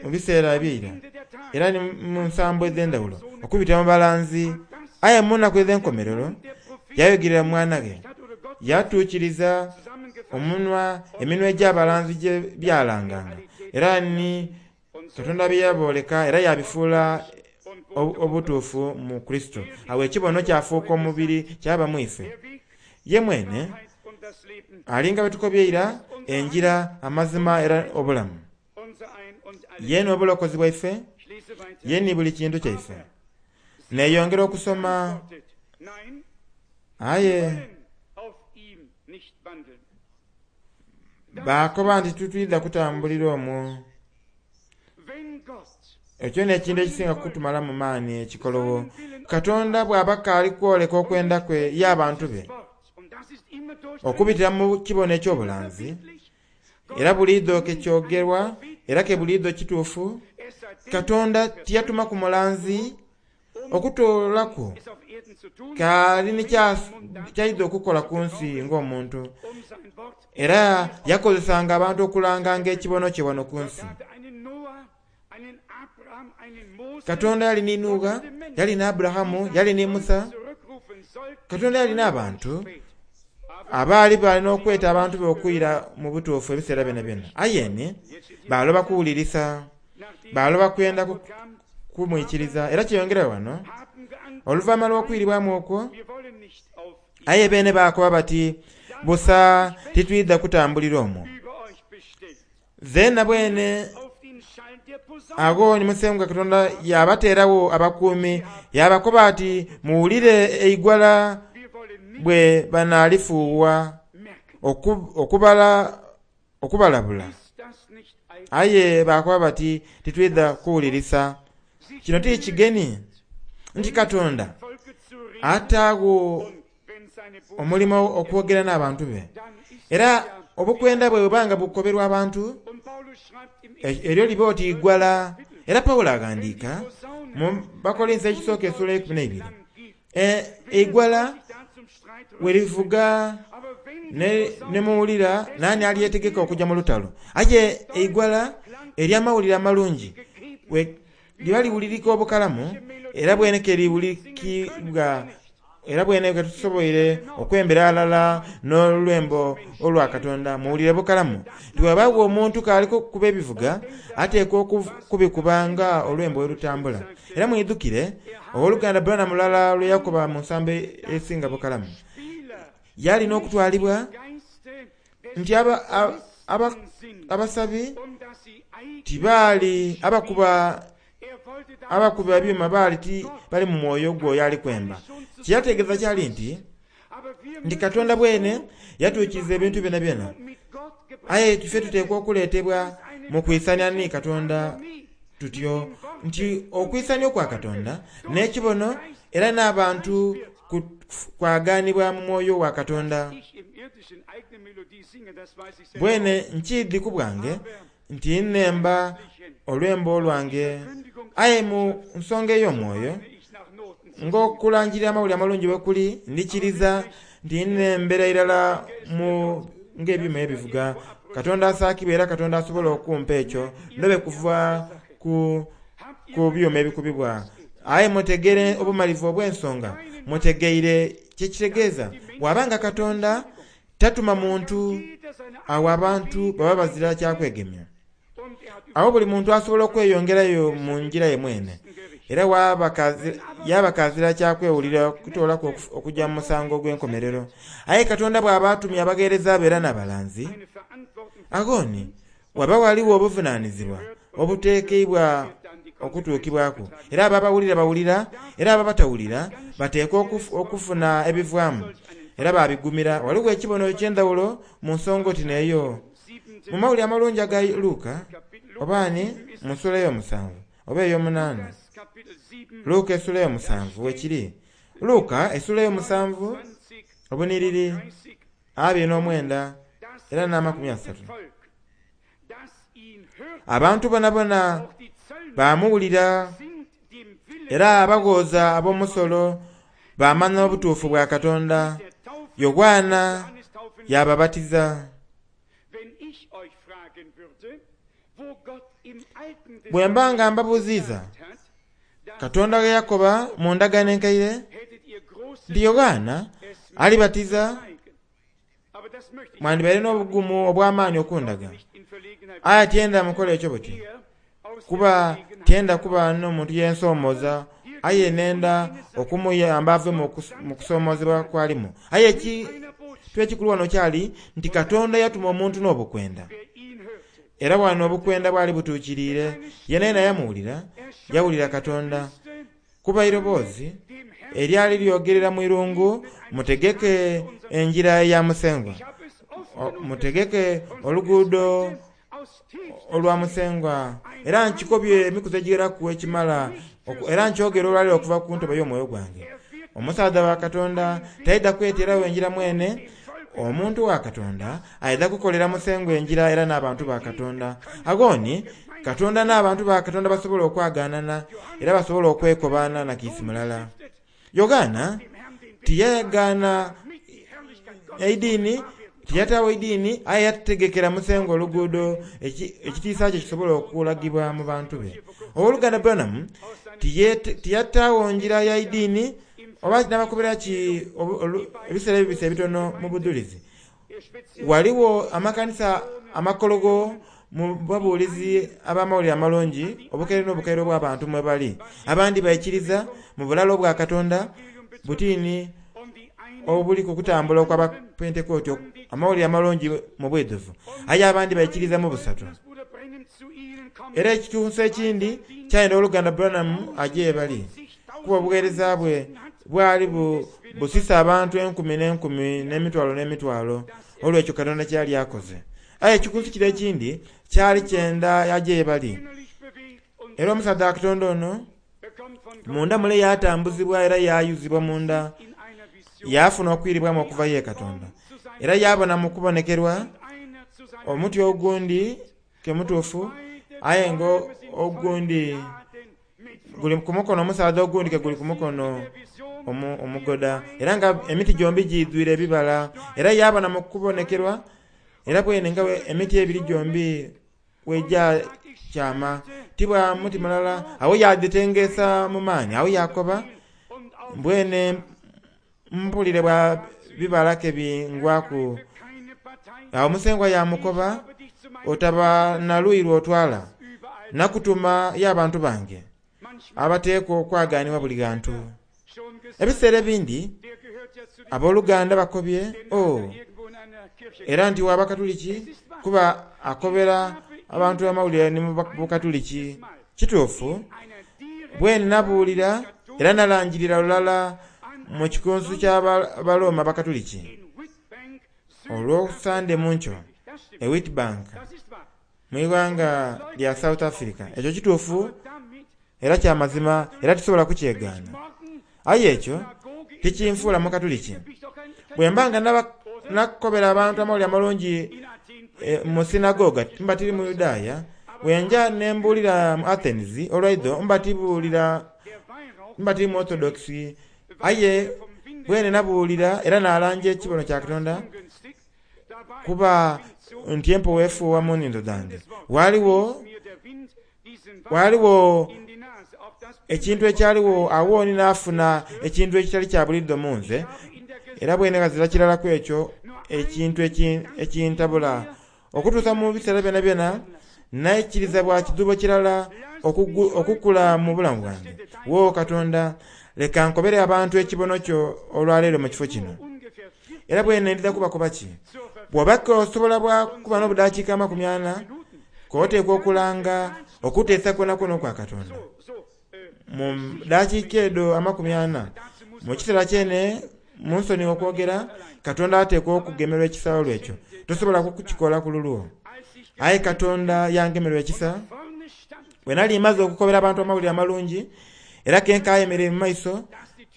Speaker 1: mu biseera eby'eira era ni mu nsambo edh'endhawulo okubitira mu balanzi, aye mu nnaku edh'enkomerero yayogerera mu mwana ghe. Yatuukiriza omunwa eminwa egy'abalanzi gye byalanganga, era ni Katonda bye yabooleka era yabifuula obutuufu mu Kurisito. Awo ekibono kyafuuka omubiri kyaba mu ife. Ye mwene alinga bwe tukobye eira, enjira, amazima era obulamu. Ye n'obulokozi bwaife, ye ni buli kintu kyaife. Neeyongera okusoma, aye baakoba nti titwidha kutambulira omwo. Ekyo n'ekintu ekisinga kutumala mu maani ekikolowo. Katonda bw'aba kaali kwoleka okwenda kwe ye abantu be okubitira mu kibono eky'obulanzi, era buliidho ke kyogerwa era ke buliidho kituufu, Katonda tiyatuma ku mulanzi okutoolaku kaali ni kyaidha okukola ku nsi ng'omuntu, era yakozesanga abantu okulanganga ekibono kye wano ku nsi. Katonda yali ni Nuuwa, yali ni Aburahamu, yali ni Musa. Katonda yali n'abantu abaali balina okweta abantu be okwira mu butuufu ebiseera byonabyona. Aye ni baaloba kuwulirisa, baaloba kwenda kumwikiriza. Era kyeyongera wano, oluvannyuma lw'okwiribwamu okwo, aye beene baakoba bati, Busa titwidha kutambulira omwo. Zeena bwene agho ni Musengwa Katonda yaabateeragho abakuumi, yaabakoba ati, Muwulire eigwala bwe banaalifuuwa okubalabula. Aye baakoba bati, Titwidha kuwulirisa. Kino ti kigeni nti Katonda ataagho omulimo okwogera n'abantu be. Era obukwenda bwe bweba nga bukoberwa abantu, eryo liba oti igwala. Era Paulo aghandiika mu Bakorinso ekisooka esula eikumi n'eibiri, eigwala we livuga ne muwulira naani alyetegeka okuja mu lutalo. Aye eigwala ery'amawulire amalungi we liba liwulirika obukalamu, era bwene ke liwulikibwa, era bwene ke tusoboire okwembera ghalala n'olwembo olwa Katonda. Muwulire bukalamu nti bw'abaagho omuntu k'ali kukuba ebivuga, ateekwa okubikuba nga olwembo bwe lutambula. Era mwidhukire ow'oluganda Branham lulala lwe yakoba mu nsambo esinga bukalamu. Yali n'okutwalibwa nti abasabi tibaali abakuba abakuba ebyuma baali ti bali mu mwoyo gw'oyo ali kwemba. Kye yategeeza kyali nti nti Katonda bwene yatuukiriza ebintu byonabyona. Aye ife tuteekwa okuleetebwa mu kwisania ni Katonda tutyo nti okwisania okwa Katonda n'ekibono era n'abantu kwagaanibwa mu mwoyo wa Katonda. Bwene nkiidhi ku bwange nti nnemba olwembo olwange, aye mu nsonga ey'omwoyo, ng'okulangirira amawulire amalungi bwe kuli, ndikiriza nti nnembera irala mu ng'ebyuma ebivuga. Katonda asaakibwa era Katonda asobola okumpa ekyo ndobe kuva ku, ku byuma ebikubibwa. Aye mutegeere obumalivu obw'ensonga, mutegeire kye kitegeeza. Bw'aba nga Katonda tatuma muntu, awo abantu baba bazira kya kwegemya. Agho buli muntu asobola okweyongerayo mu ngira ye mwene, era yaaba kazira kya kwewulira okutoolaku okuja mu musango ogw'enkomerero. Aye Katonda bw'aba atumye abagheereza be era n'abalanzi, agho ni waba ghaligho obuvunaanizibwa obuteekeibwa okutuukibwaku. Era abo abawulira bawulira, era abo abatawulira bateekwa okufuna ebivaamu era baabigumira. Ghaligho ekibono eky'endhawulo mu nsonga oti n'eyo. Mu mawulire amalungi aga Luka, oba ni mu sula ey'omusanvu oba ey'omunaana, Luka esula ey'omusanvu wekiri. Luka esula ey'omusanvu obuniriri 29 era n'amakumi asatu. Abantu bonabona baamuwulira era abaghooza ab'omusolo baamanha obutuufu bwa Katonda. Yoanna yaababatiza. Bwe mba nga mbabuuziiza Katonda ghe yakoba mu ndagaano enkaire nti Yoanna alibatiza, mwandibaire n'obugumu obw'amaani okundaga. Aye tyenda mukole ekyo buti, kuba tyenda kuba n'omuntu yensoomooza, aye nenda okumuyamba ave mu kusoomozebwa kw'alimu. Aye ekintu ekikulu wano kyali nti Katonda yatuma omuntu n'obukwenda. Era wano obukwenda bwali butuukiriire, yenayena yamuwulira, yawulira Katonda. Kuba eiroboozi eryali lyogerera mu irungu, mutegeke engira ya Musengwa, mutegeke oluguudo olwa Musengwa. Era nkikobye emikuzi egigheraku ekimala, era nkyogera olwaleero okuva ku ntobo y'omwoyo gwange. Omusaadha wa Katonda taidha kweteeragho engira mwene. Omuntu wa Katonda aidha kukolera Musengwa engira era n'abantu ba Katonda. Agho ni Katonda n'abantu ba Katonda basobola okwagaanana era basobola okwekobaana na kiisi mulala. Yoanna tiyagaana eidiini, tiyataagho idiini, aye yategekera Musengwa oluguudo ekitiisa kye kisobola okulagibwa mu bantu be. Ow'oluganda Branham tiyataagho ngira ya idiini, oba n'abakobera ki ebiseera ebibise ebitono mu budhulizi. Ghaligho amakanisa amakologho mu babuulizi ab'amawulire amalungi obukaire n'obukaire obw'abantu mwe bali. Abandi baikiriza mu bulala obwa Katonda butini obuli ku kutambula okw'Abapentekooti amawulire amalungi mu bwidhuvu, aye abandi baikiriza mu busatu. Era ekikunsu ekindi kyayenda Owoluganda Branham aje ye bali, kuba obugheereza bwe bwali busisa abantu enkumi n'enkumi n'emitwalo n'emitwalo olw'ekyo Katonda kye yali akoze. Aye ekikunsu kire ekindi kyali kyenda aje ye bali. Era omusaadha wa Katonda ono munda mule yaatambuzibwa era yaayuzibwa munda, yaafuna okwiribwamu okuva ye Katonda. Era yaabona mu kubonekerwa omuti ogundi ke mutuufu, aye nga ogundi guli ku mukono omusaadha ogundi ke guli ku mukono omugoda, era nga emiti gyombi giidhwire ebibala. Era yaabona mu kubonekerwa, era bwene nga emiti ebiri gyombi bwegya kyama, ti bwa muti mulala. Agho yaadhitengeesa mu maani. Agho yaakoba, Mbwene mpulire bwa bibala ke bingwaku. Agho Musengwa yaamukoba, Otaba na luuyi lw'otwala. Nakutuma y'abantu bange, abateekwa okwagaanibwa buli ghantu. Ebiseera ebindi aboluganda bakobye, Oh, era nti wa Bakatuliki, kuba akobera abantu amawulire ni mu Bukatuliki. Kituufu, bwene nabuulira era nalangirira lulala mu kikunsu ky'Abaroma Abakatuliki olwo Sande mu nkyo e Witbank mu ighanga lya South Africa. Ekyo kituufu era kya mazima era tisobola kukyegaana. Aye ekyo tikinfuula Mukatuliki. Bwe mba nga nakobera abantu Amawulire Amalungi mu sinagoga, mba tiri Muyudaaya. Bwe nja ne mbuulira mu Athens olwaidho, mba tibuulira, mba tiri Muorthodox. Aye bwene nabuulira era naalanja ekibono kya Katonda, kuba nti empewo efuuwa mu nhindo dhange. Ghaligho Ghaligho ekintu ekyaligho agho ni naafuna ekintu ekitali kya bulidho mu nze, era bwene ghazira kirala ku ekyo ekintu ekintabula. Okutuusa mu biseera byonabyona naikiriza bwa kidhuubo kirala okukula mu bulamu bwange. Wo Katonda, leka nkobere abantu ekibono kyo olwaleero mu kifo kino. Era bwene ndidha kubakoba ki? Bw'oba k'osobola bwa kuba n'obudakiika amakumiana, k'oteekwa okulanga okuteesa kwonakwona okwa Katonda mu dakiika edho amakumiana. Mu kiseera kyene, mu nsonighe okwogera, Katonda ateekwa okugemerwa ekisa olw'ekyo. Tosobola kukikola ku lulwo. Aye Katonda yangemerwa ekisa bwe nali mmaze okukobera abantu Amawulire Amalungi, era ke nkaayemereire mu maiso,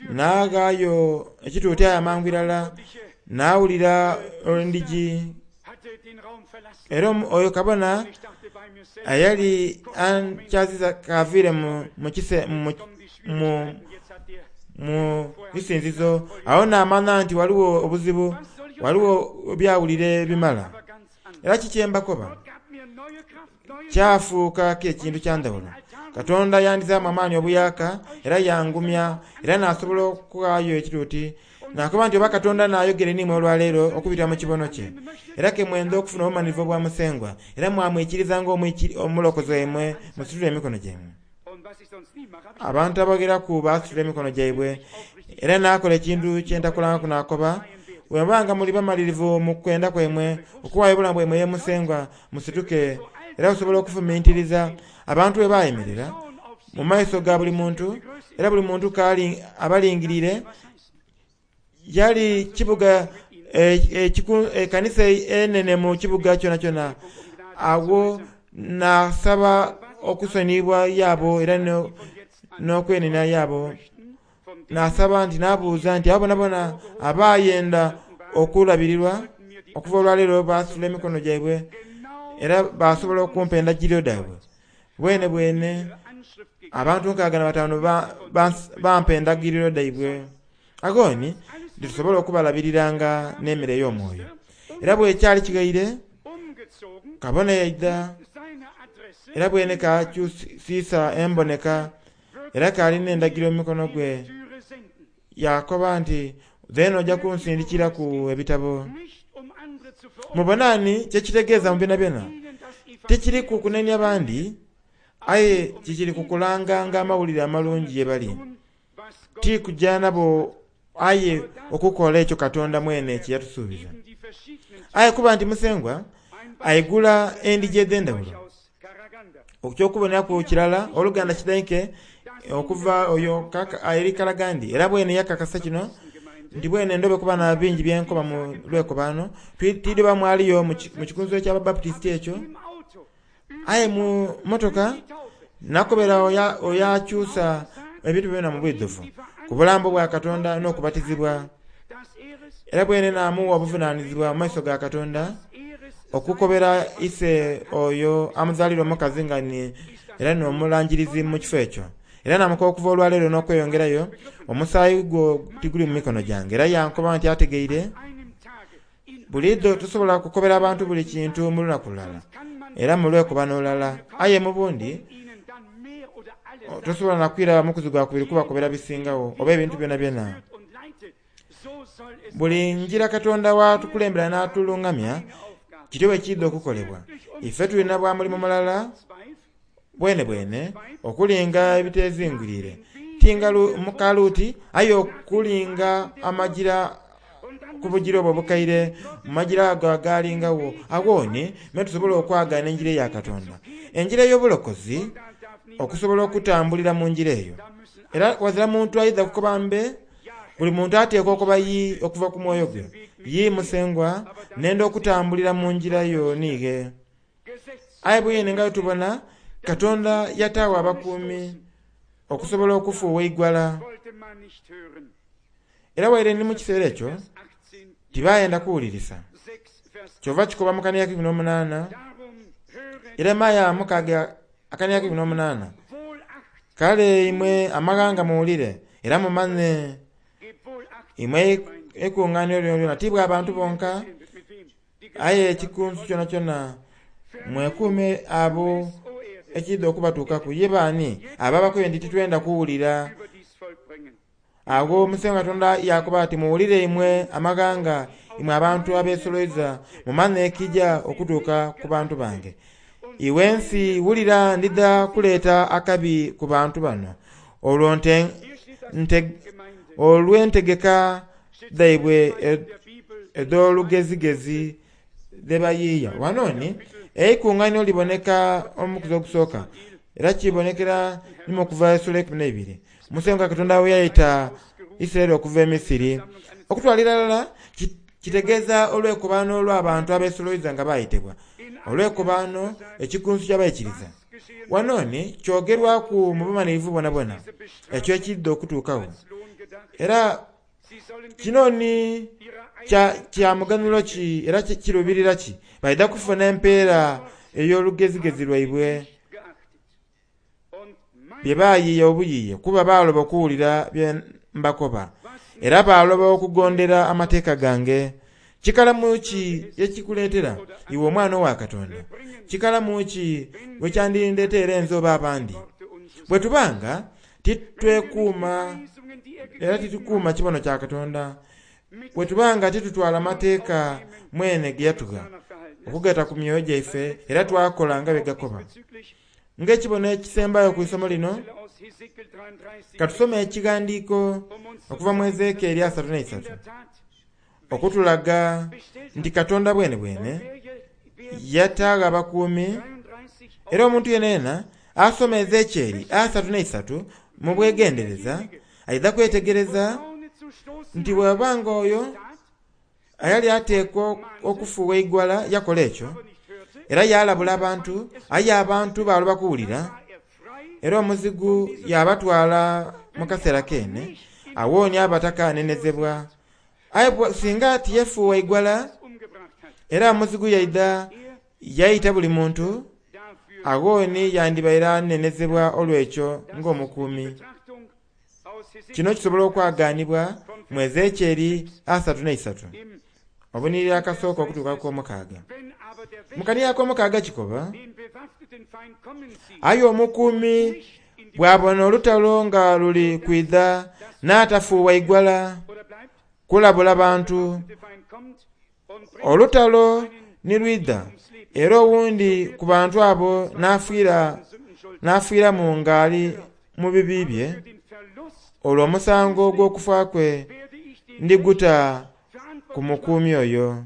Speaker 1: naaghaayo ekituuti aye amangu irala naawulira endhigi. Era oyo kabona eyali ankyaziza k'aviire mu isinzizo. Agho naamanha nti ghaligho obuzibu, ghaligho byawulire ebimala. Era kiki kye mbakoba? Kyafuuka k'ekintu kya ndhawulo. Katonda yandhizaamu amaani obuyaaka era yangumya, era naasobola okughaayo ekituuti. Naakoba nti, Oba Katonda anaayogera n'imwe olwaleero okubitira mu kibono kye, era ke mwendha okufuna obumanhirivu obwa Musengwa, era mwamwikiriza ng'Omulokozi waimwe, musitule emikono gyaimwe. Abantu abagheraku baasitula emikono gyaibwe, era naakola ekintu kye ntakolangaku naakoba, Bwe muba nga muli bamalirivu mu kwenda kwaimwe okughaayo obulamu bwaimwe ye Musengwa, musituke. Era osobola okufumintiriza abantu bwe baayemerera mu maiso ga buli muntu, era buli muntu k'ali abalingiriire. Yali kibuga ekanisa enene mu kibuga kyonakyona. Agho naasaba okusoniyibwa yaabo era n'okwenenia yaabo. Naasaba nti, naabuuza nti, abo boonaboona abaayenda okulabirirwa okuva olwaleero baasitula emikono gyaibwe era baasobola okumpa endagiriro dhaibwe. Bwenebwene abantu 65 bampa endagiriro dhaibwe. Agho ni titusobola okubalabiriranga n'emere ey'omwoyo. Era bwe kyali kighaire, kabona yaidha, era bwene kaakyusiisa emboneka, era kaali n'endagiriro mu mukono gwe. Yaakoba nti, Dheena oja kunsindikiraku ebitabo. Mubona ni kye kitegeeza mu byonabyona? Tikiri ku kunenia bandi, aye kikiri ku kulanganga amawulire amalungi ye bali. Ti kuja nabo aye okukola ekyo Katonda mwene kye yatusuubiza. Aye kuba nti Musengwa aigula endigi edh'endhawulo. Eky'okuboneraku kirala, oluganda kidaike okuva oyo eri Kalagandi, era bwene yakakasa kino nti bwene ndobe kuba na bingi byenkoba mu lwekobaano. Tidhoba mwaliyo mu kikunsu eky'Ababaputisiti ekyo, aye mu motoka nakobera oyo akyusa ebintu byona mu bwidhuvu ku bulambo bwa Katonda n'okubatizibwa. Era bwene naamuwa obuvunaanizibwa mu maiso ga Katonda okukobera ise oyo amuzaalira omukazi nga ni era n'omulangirizi mu kifo ekyo. Era naamukoba okuva olwaleero n'okweyongerayo, omusaayi gwo tiguli mu mikono gyange. Era yankoba nti ategeire. Buliidho tosobola kukobera abantu buli kintu mu lunaku lulala, era mu lwekobano lulala. Aye mu bundi tosobola na kwira mukuzi gwa kubiri kubakobera bisingagho oba ebintu byonabyona. Buli ngira Katonda w'atukulembera n'atulungamya, kityo bwe kiidha okukolebwa. Ife tulina bwa mulimo mulala bwene bwene okulinga ebitezingwirire, ti nga mukaluuti, aye okulinga amagira ku bugira obwo obukaire, mu magira ago agaalingagho. Agho ni me tusobola okwagaana enjira eya Katonda, enjira ey'obulokozi, okusobola okutambulira mu njira eyo. Era ghazira muntu aidha kukoba mbe, buli muntu ateekwa okuba yii okuva ku mwoyo gwe. Yii Musengwa, nenda okutambulira mu njira yo niighe. Aye bwene nga bwe tubona, Katonda yataagho abakuumi okusobola okufuuwa eigwala. Era waire ni mu kiseera ekyo tibayenda kuwulirisa. Kyova kikoba mu kania 18, Yeremia mukaaga akania 18, Kale imwe amaghanga muwulire era mumanhe, imwe eikunganiro lyonalyona, ti bwa bantu bonka, aye ekikunsu kyonakyona, mwekuume abo ekiidha okubatuukaku. Ye baani abo abakoye nti titwenda kuwulira? Agho Musengwa Katonda yaakoba ati, Muwulire imwe amaghanga, imwe abantu abeesoloiza, mumanhe ekija okutuuka ku bantu bange. Iwe ensi wulira, ndidha kuleeta akabi ku bantu bano olw'entegeka dhaibwe edh'olugezigezi dhe bayiiya. Ghano ni eikunganiro liboneka omukuzi ogusooka, era kibonekera ni mu Okuva esula eikumi n'eibiri. Musengwa Katonda bwe yaita Isiraeli okuva e Misiri. Okutwalira irala kitegeeza olwekobaano olw'abantu abeesoloiza nga baayitibwa. Olwekobaano, ekikunsu ky'abaikiriza. Ghano ni kyogerwaku mu bumanhirivu bwonabwona ekyo ekiidha okutuukagho. Era kino ni kya muganhulo ki era kirubirira ki? Baidha kufuna empeera ey'olugezigezi lwaibwe bye baayiiya obuyiiye, kuba baaloba okuwulira bye mbakoba, era baaloba okugondera amateeka gange. Kikalamu ki ekikuleetera iwe omwana owa Katonda? Kikalamu ki bwe kyandindeeteire nze oba abandi? Bwe tuba nga titwekuuma era titukuuma kibono kya Katonda, bwe tuba nga titutwala mateeka mwene ge yatugha okugata ku myoyo gyaife era twakola nga bye gakoba. Ng'ekibono ekisembayo ku isomo lino, ka tusome ekighandiiko okuva mu Ezekieli 33 okutulaga nti Katonda bwenebwene yataagho abakuumi, era omuntu yenayena asoma Ezekieli 33 mu bwegendereza aidha kwetegereza nti bw'aba nga oyo ayali ateekwa okufuuwa eigwala yakola ekyo, era yaalabula abantu, aye abantu baaloba kuwulira, era omuzigu yaabatwala mu kaseera keene, awonia abatakaanenezebwa. Aye singa tiyefuuwa igwala, era omuzigu yaidha yaita buli muntu, aghoni yandibaire anenezebwa olw'ekyo ng'omukuumi. Kino kisobola okwagaanibwa mu Ezekieli 33, obunhiriri akasooka okutuuka ku omukaaga. Mu kania ak'omukaaga kikoba, Aye omukuumi bw'abona olutalo nga luli kwidha n'atafuuwa igwala kulabula bantu, olutalo ni lwidha Era owundi ku bantu abo n'afiira n'afiiramu ng'ali mu bibi bye, olwo omusango ogw'okufa kwe ndiguta ku mukuumi oyo.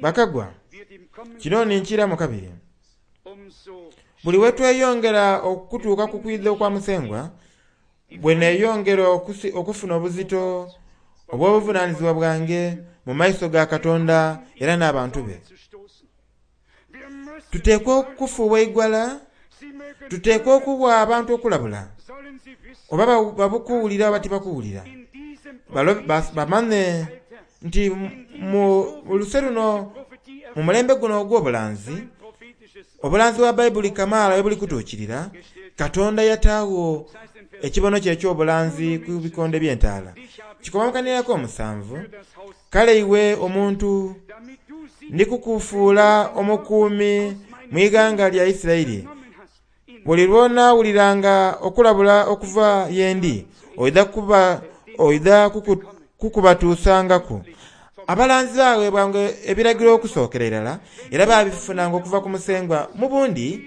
Speaker 1: Bakagwa, kino ni nkiramu kabiri. Buli we tweyongera okutuuka ku kwidha okwa Musengwa, bwe neeyongera okufuna obuzito obw'obuvunaanyizibwa bwange mu maiso ga Katonda era n'abantu be. Tuteekwa okufuuwa eigwala, tuteekwa okuwa abantu okulabula, oba babukuwulira oba tibakuwulira. Bamanye nti mu luse luno, mu mulembe guno ogw'obulanzi, obulanzi bwa Baibuli kamaala we buli kutuukirira, Katonda yataagho ekibono kye eky'obulanzi ku bikonde by'entaala. Kikoba mu kanira ak'omusanvu, Kale iwe omuntu, ndi kukufuula omukuumi mu ighanga lya Isiraeli. Buli lw'onaawuliranga okulabula okuva ye ndi, oidha kuba oidha kukubatuusangaku. Abalanzi baaweebwanga ebiragiro okusookera irala, era baabifunanga okuva ku Musengwa. Mu bundi,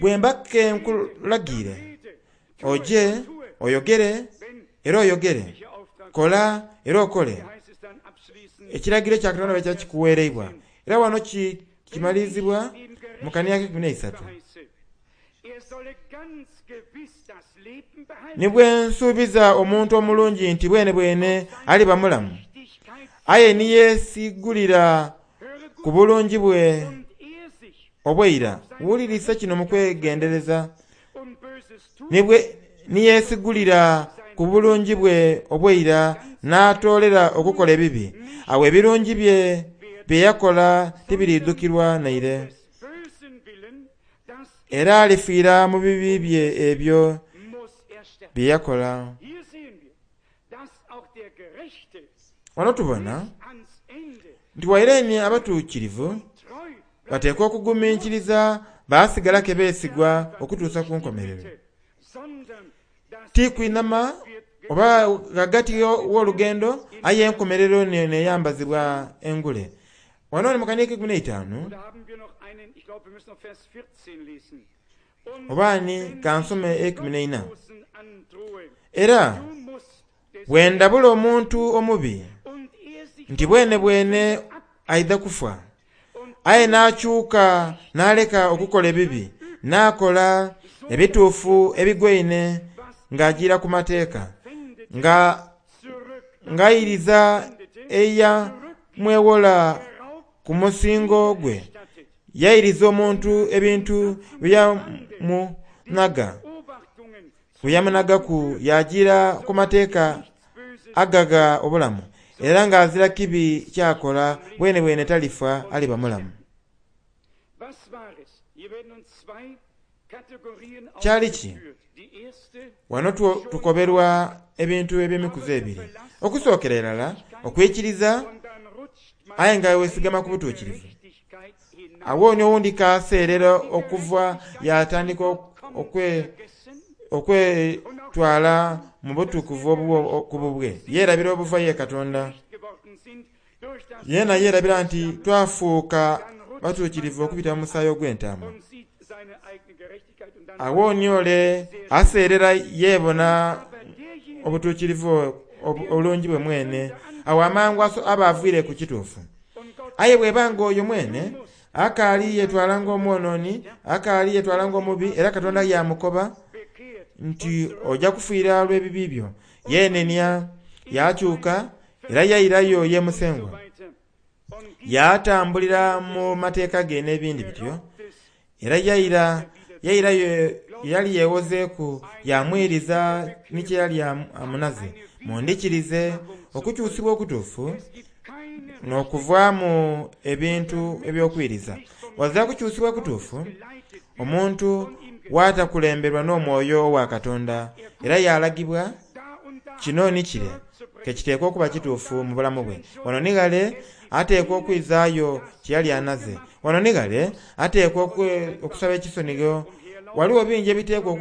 Speaker 1: bwe mba ke nkulagiire, oje oyogere era oyogere, kola era okole. Ekiragiro kya Katonda bwe kiba kikuweereibwa. Era wano kimalirizibwa mu kania ak'eikumi n'eisatu. Ni bwe nsuubiza omuntu omulungi nti bwenebwene aliba mulamu, aye ni yeesigulira ku bulungi bwe obw'eira, wulirisa kino mu kwegendereza, ni yeesigulira ku bulungi bwe obw'eira n'atoolera okukola ebibi, agho ebirungi bye bye yakola tibiriidhukirwa naire. Era alifiira mu bibi bye ebyo bye yakola. Wano tubona nti waire ni abatuukirivu bateekwa okuguminkiriza baasigala ke beesigwa okutuusa ku nkomerero. Ti kwinhama oba ghagati gh'olugendo, aye enkomerero n'eyambazibwa engule. Wano ni mu kanhika eikumi n'eitaanu, oba ni ka nsome eikumi n'eina. Era bwe ndabula omuntu omubi nti bwenebwene aidha kufa, aye n'akyuka n'aleka okukola ebibi, n'akola ebituufu ebigwaine ng'ajiira ku mateeka, nga ng'airiza eyamwewola ku musingo gwe, yairiza omuntu ebintu bye yamunhaga, bye yamunhagaku, yaajiira ku mateeka agagha obulamu, era ng'azira kibi ky'akola, bwenebwene talifa, aliba mulamu. Kyali ki? Wano tukoberwa ebintu eby'emikuzi ebiri. Okusookera irala, okwikiriza aye nga weesigama ku butuukirivu. Agho ni owundi k'aseerera okuva yaatandika okwetwala mu butukuvu obubwe ku bubwe, yeerabira obuva ye Katonda. Yeena yeerabira nti twafuuka batuukirivu okubita mu musaayi ogw'entaama. Agho ni ole aseerera yeebona obutuukirivu obulungi bwe mwene, agho amangu aba aviire ku kituufu. Aye bw'eba nga oyo mwene akaali yeetwala ng'omwonooni, akaali yeetwala ng'omubi, era Katonda yaamukoba nti oja kufiira olw'ebibi byo, yeenenia, yaakyuka, Era yairayo ye Musengwa, yaatambulira mu mateeka ge n'ebindi bityo. Era yaira, yairayo ye yali yeewozeeku, yaamwiriza ni kye yali amunaze. Mundhikirize, okukyusibwa okutuufu n'okuvaamu ebintu eby'okwiriza. Ghazira kukyusibwa kutuufu, omuntu bw'atakulemberwa n'omwoyo owa Katonda era yaalagibwa kino ni kire. Ke kiteekwa okuba kituufu mu bulamu bwe. Wano ni ghale ateekwa okwizaayo kye yali anaze. Wano ni ghale ateekwa okusaba ekisonigho. Ghaligho bingi ebiteekwa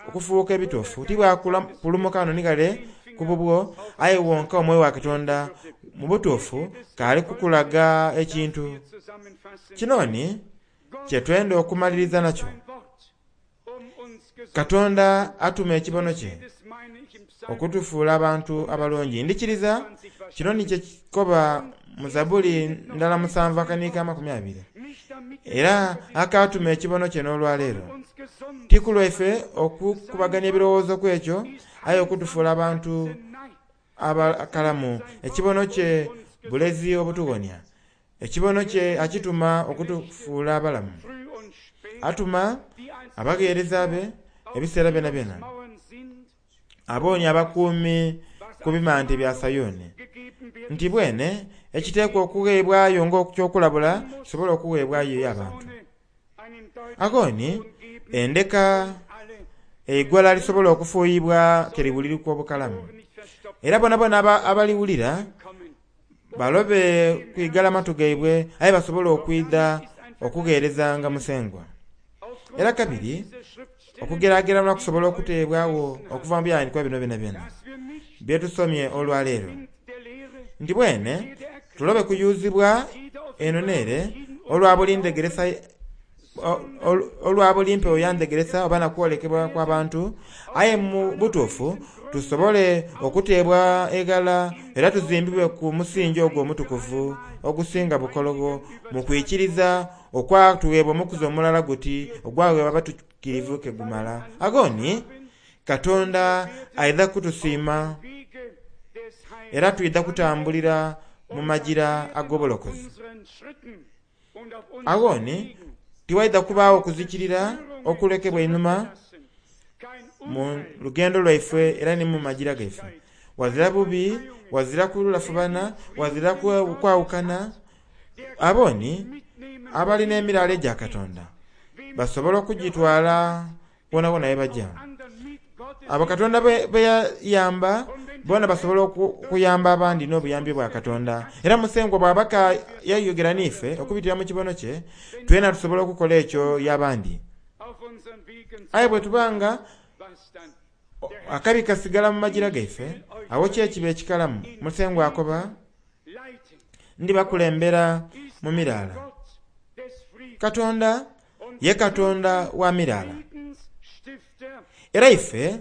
Speaker 1: okufuuka ebituufu. Ti bwa kulumuka wano ni ghale. ku bubwo, aye wonka Omwoyo wa Katonda mu butuufu k'ali kukulaga ekintu. Kino ni kye twenda okumaliriza nakyo. Katonda atuma ekibono kye okutufuula abantu abalungi. Ndikiriza kino ni kye kikoba mu Zabbuli ndala 7:20. Era akaatuma ekibono kye n'olwaleero. Ti ku lwaife okukubaganya ebirowoozo ku ekyo, aye okutufuula abantu abakalamu. Ekibono kye bulezi obutuwonia. Ekibono kye akituma okutufuula abalamu. Atuma abagheereza be ebiseera byonabyona, aboonia abakuumi ku bimante bya Sayuni, nti bwene ekiteekwa okugheebwayo ng'ekyokulabula kisobole okugheebwayo eri abantu. Agho ni endeka eigwala lisobola okufuuyibwa ke liwulirika obukalamu, era boonaboona abaliwulira balobe kwigala matu gaibwe, aye basobole okwidha okugheerezanga Musengwa. Era kabiri okugeragerana kusobola okuteebwagho okuva mu byawandiikibwa bino byonabyona bye tusomye olwaleero, nti bwene tulobe kuyuzibwa eno n'ere olwa buli ndhegeresa olwa buli mpewo ya ndhegeresa oba na kwolekebwa kw'abantu, aye mu butuufu tusobole okuteebwa eghala era tuzimbibwe ku musingi ogwo omutukuvu ogusinga bukologho mu kwikiriza okwatugheebwa omukuzi omulala guti ogwagheebwa abatukirivu ke gumala. Agho ni Katonda aidha kutusiima era twidha kutambulira mu magira ag'obulokozi. Agho ni tiwaidha kubaagho kuzikirira okulekebwa einhuma mu lugendo lwaife era ni mu magira gaife. Wazira bubi, wazira kulafubana, wazira kwawukana. Abo ni abali n'emiraala egya Katonda basobola okugitwala wonawona ye baja. Abo Katonda be yayamba boona basobola okuyamba abandi n'obuyambi bwa Katonda. Era Musengwa bw'aba ka yayogera n'ife okubitira mu kibono kye, twena tusobola okukola ekyo y'abandi. Aye bwe tuba nga akabi kasigala mu magira gaife, awo ki ekiba ekikalamu? Musengwa akoba, ndibakulembera mu miraala. Katonda ye Katonda wa miraala. Era ife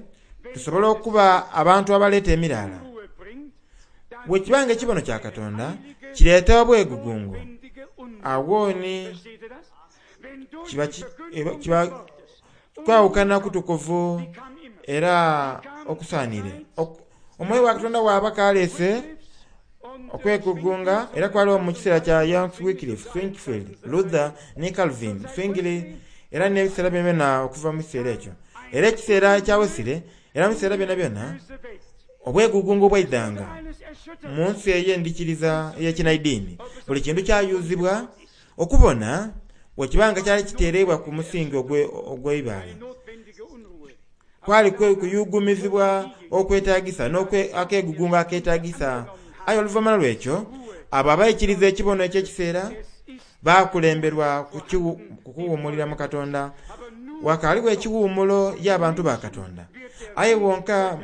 Speaker 1: tusobola okuba abantu abaleeta emiraala. Bwe kiba nga ekibono kya Katonda kireeta obwegugungo, agho ni kiba kwawukana kutukuvu era okusaanire. Omwoyo wa Katonda bw'aba kaleese okwegugunga, era kwaliwo mu kiseera kya John Wycliffe, Zwingli, Luther ni Calvin, Zwingli, era n'ebiseera byonabyona okuva mu kiseera ekyo. Era ekiseera kya Wesley, era mu biseera byonabyona, obwegugungo bwaidhanga mu nsi ey'endhikiriza ey'ekinaidiini. Buli kintu kyayuzibwa okubona bwe kiba nga kyali kiteereibwa ku musingi ogw'eibaale. Kwali kuyugumizibwa okwetagisa n'akegugungo aketagisa. Aye oluvannyuma lw'ekyo, abo abaikiriza ekibono eky'ekiseera bakulemberwa kukuwuumulira mu Katonda. Wakaaligho ekiwuumulo y'abantu ba Katonda. Aye wonka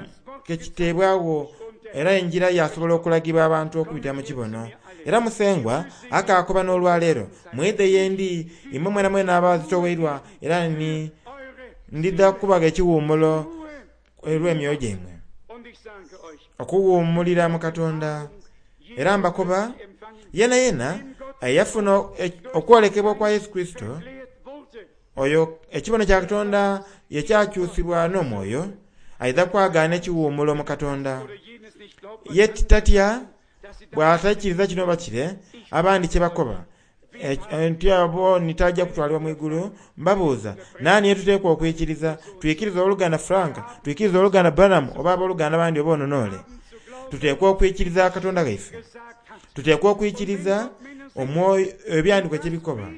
Speaker 1: kekiteebwagho era enjira yasobola okulagibwa abantu okubitira mu kibono. Era Musengwa akaakoba n'olwaleero, mwidhe ye ndi imwe mwenamwena abazitoweirwa era ni ndidha kubagha ekiwuumulo olw'emyoyo gyaimwe. Okuwuumulira mu Katonda. Era mbakoba, yenayena eyafuna okwolekebwa kwa Yesu Kurisito, oyo ekibono kya Katonda ye kyakyusibwa n'omwoyo, aidha kwagaana ekiwuumulo mu Katonda. Ye tatya bw'ataikiriza kino oba kire, abandi kye bakoba. Nti abo nitaja kutwalibwa mu igulu, mbabuuza, naani yetuteekwa okwikiriza? Twikiriza oluganda Frank, twikiriza oluganda Branham, oba abooluganda bandi oba ononoole? Tuteekwa okwikiriza Katonda ghaife. Tuteekwa okwikiriza omwoyo ebyandiikwa kye bikoba.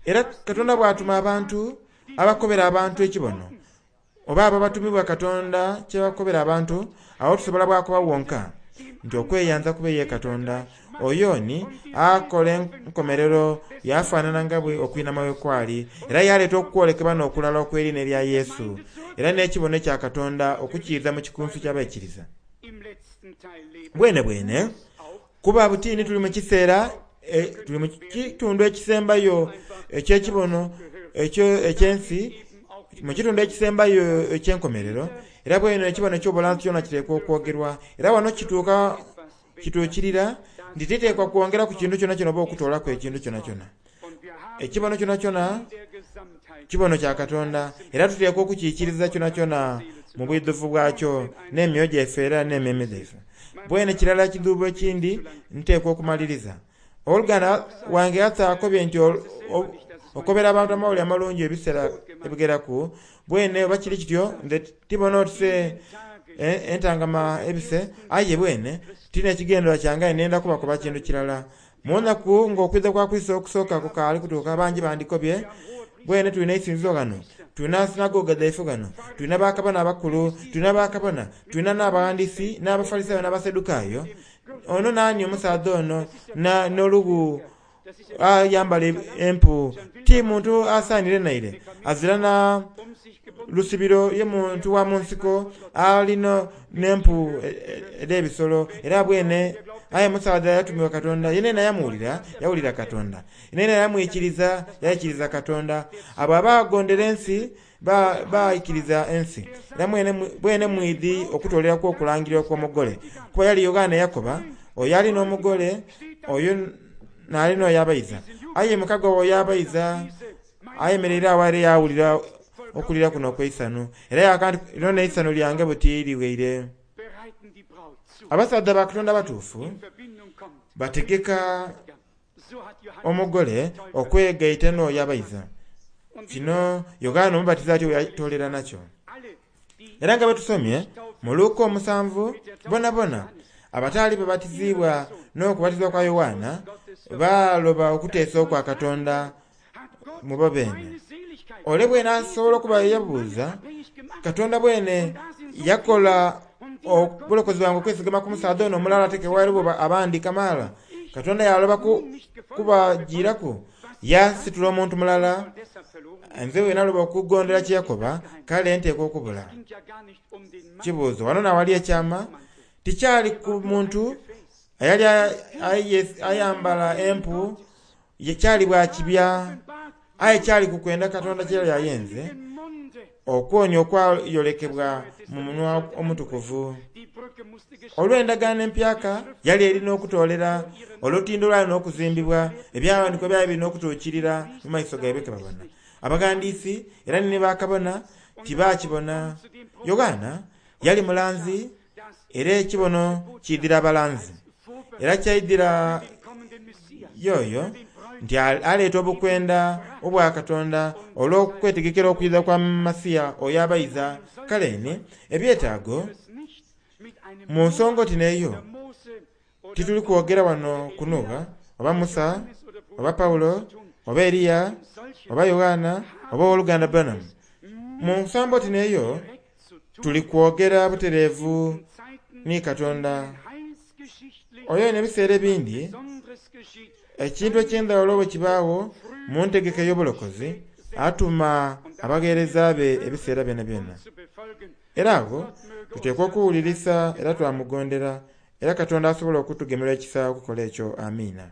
Speaker 1: Era Katonda bw'atuma abantu abakobera abantu ekibono, oba abo abatumibwa Katonda kye bakobera abantu, awo tusobola bwakoba wonka nti okweyanza kube ye Katonda. Oyo ni akola enkomerero yafaanana nga bwe okwinama bwe kwali, era yaleeta okwolekebwa n'okulala okw'eriina erya Yesu, era n'ekibono ekya Katonda okukiiza mu kikunsu ky'abaikiriza. Bwene bwene, kuba butini tuli mu kiseera, tuli mu kitundu ekisembayo eky'ekibono eky'ensi, mu kitundu ekisembayo eky'enkomerero, era bwene ekibono eky'obulanzi kyona kiteekwa okwogerwa. Era wano kituuka, kituukirira nti titeekwa kwongera ku kintu kyonakyona oba okutoolaku ekintu kyonakyona. Ekibono kyonakyona kibono kya Katonda, era tuteekwa okukiikiriza kyonakyona mu bwidhuvu bwakyo n'emyoyo gyaife era n'emmeeme dhaife. Bwene kirala ekidhuubo ekindi nteekwa okumaliriza. Owoluganda wange Arthur akobye nti okobera abantu amawulire amalungi ebiseera ebigheraku. Bwene oba kiri kityo nze tibona oti se entangama ebise, aye bwene ti n'ekigendererwa kyange aye nenda kubakoba kintu kirala. Mu nnaku ng'okwidha kwa Kurisito okusooka kukaali kutuuka, bangi bandikobye, Bwene tulina eisinzizo ghano, tulina sinagoga dhaife ghano, tulina bakabona abakulu, tulina bakabona, tulina n'abaghandiisi, n'Abafalisaayo, n'Abasadukayo. Ono naani omusaadha ono n'olughu ayambala empu? Ti muntu asaanire naire, azira na lusibiro ye muntu wa mu nsiko ali n'empu edh'ebisolo. Era bwene aye musaadha yatumibwa Katonda, yenayena yamuwulira, yawulira Katonda. Yenayena yamwikiriza, yaikiriza Katonda. Abo abaagondera ensi baikiriza ensi. Era bwene mwidhi okutooleraku okulangirira okw'omugole. Kuba yali Yoanne eyakoba, Oyo ali n'omugole, oyo n'ali n'oyo abayiza. Aye mukago w'oyo abayiza ayemereire agho era yaawulira okulira kuno okw'eisanhu. Era yaaka nti, Lino n'eisanhu lyange buti ligheire. Abasaadha ba Katonda abatuufu bategeka omugole okwegaita n'oyo abayiza. Kino Yoanne Omubatiza atyo bwe yatoolera nakyo. Era nga bwe tusomye mu Luka omusanvu, bonabona abataali babatiziibwa n'okubatizibwa kwa Yoanna baaloba okuteesa okwa Katonda mu bo beene. Ole bwene asobola okuba yabuuza, Katonda bwene yakola obulokozi bwange okwesigama ku musaadha ono omulala ate ke ghaligho abandi kamaala? Katonda yaaloba kubajiiraku, yaasitula omuntu mulala. Nze bwe naloba okugondera kye yakoba, kale nteekwa okubula. Kibuuzo, Wano n'awali ekyama, tikyali ku muntu eyali ayambala empu, kyali bwa kibya, aye kyali ku kwenda Katonda kye yali ayenze, okwonia okwayolekebwa mu munwa omutukuvu. Olw'endagaano empyaka yali eri n'okutoolera, olutindo lwali n'okuzimbibwa, ebyawandiikibwa byali biri n'okutuukirira mu maiso gaibwe ke babona. Abaghandiisi era ni bakabona tibaakibona. Yoanna yali mulanzi era ekibono kiidhira abalanzi. Era kyaidhira y'oyo nti aleeta obukwenda obwa Katonda olw'okwetegekera okwidha kwa Masiya oyo abayiza. Kale ni, ebyetaago mu nsonga oti n'eyo, tituli kwogera wano ku Nuuwa, oba Musa, oba Paulo, oba Eliya, oba Yoanna, oba ow'oluganda Branham. Mu nsambo oti n'eyo, tuli kwogera butereevu ni Katonda. Oyo n'ebiseera ebindi, ekintu eky'endhaghulo bwe kibaagho mu ntegeka ey'obulokozi, atuma abagheereza be ebiseera byonabyona. Era agho tuteekwa okuwulirisa era twamugondera, era Katonda asobola okutugemerwa ekisa okukola ekyo. Amiina.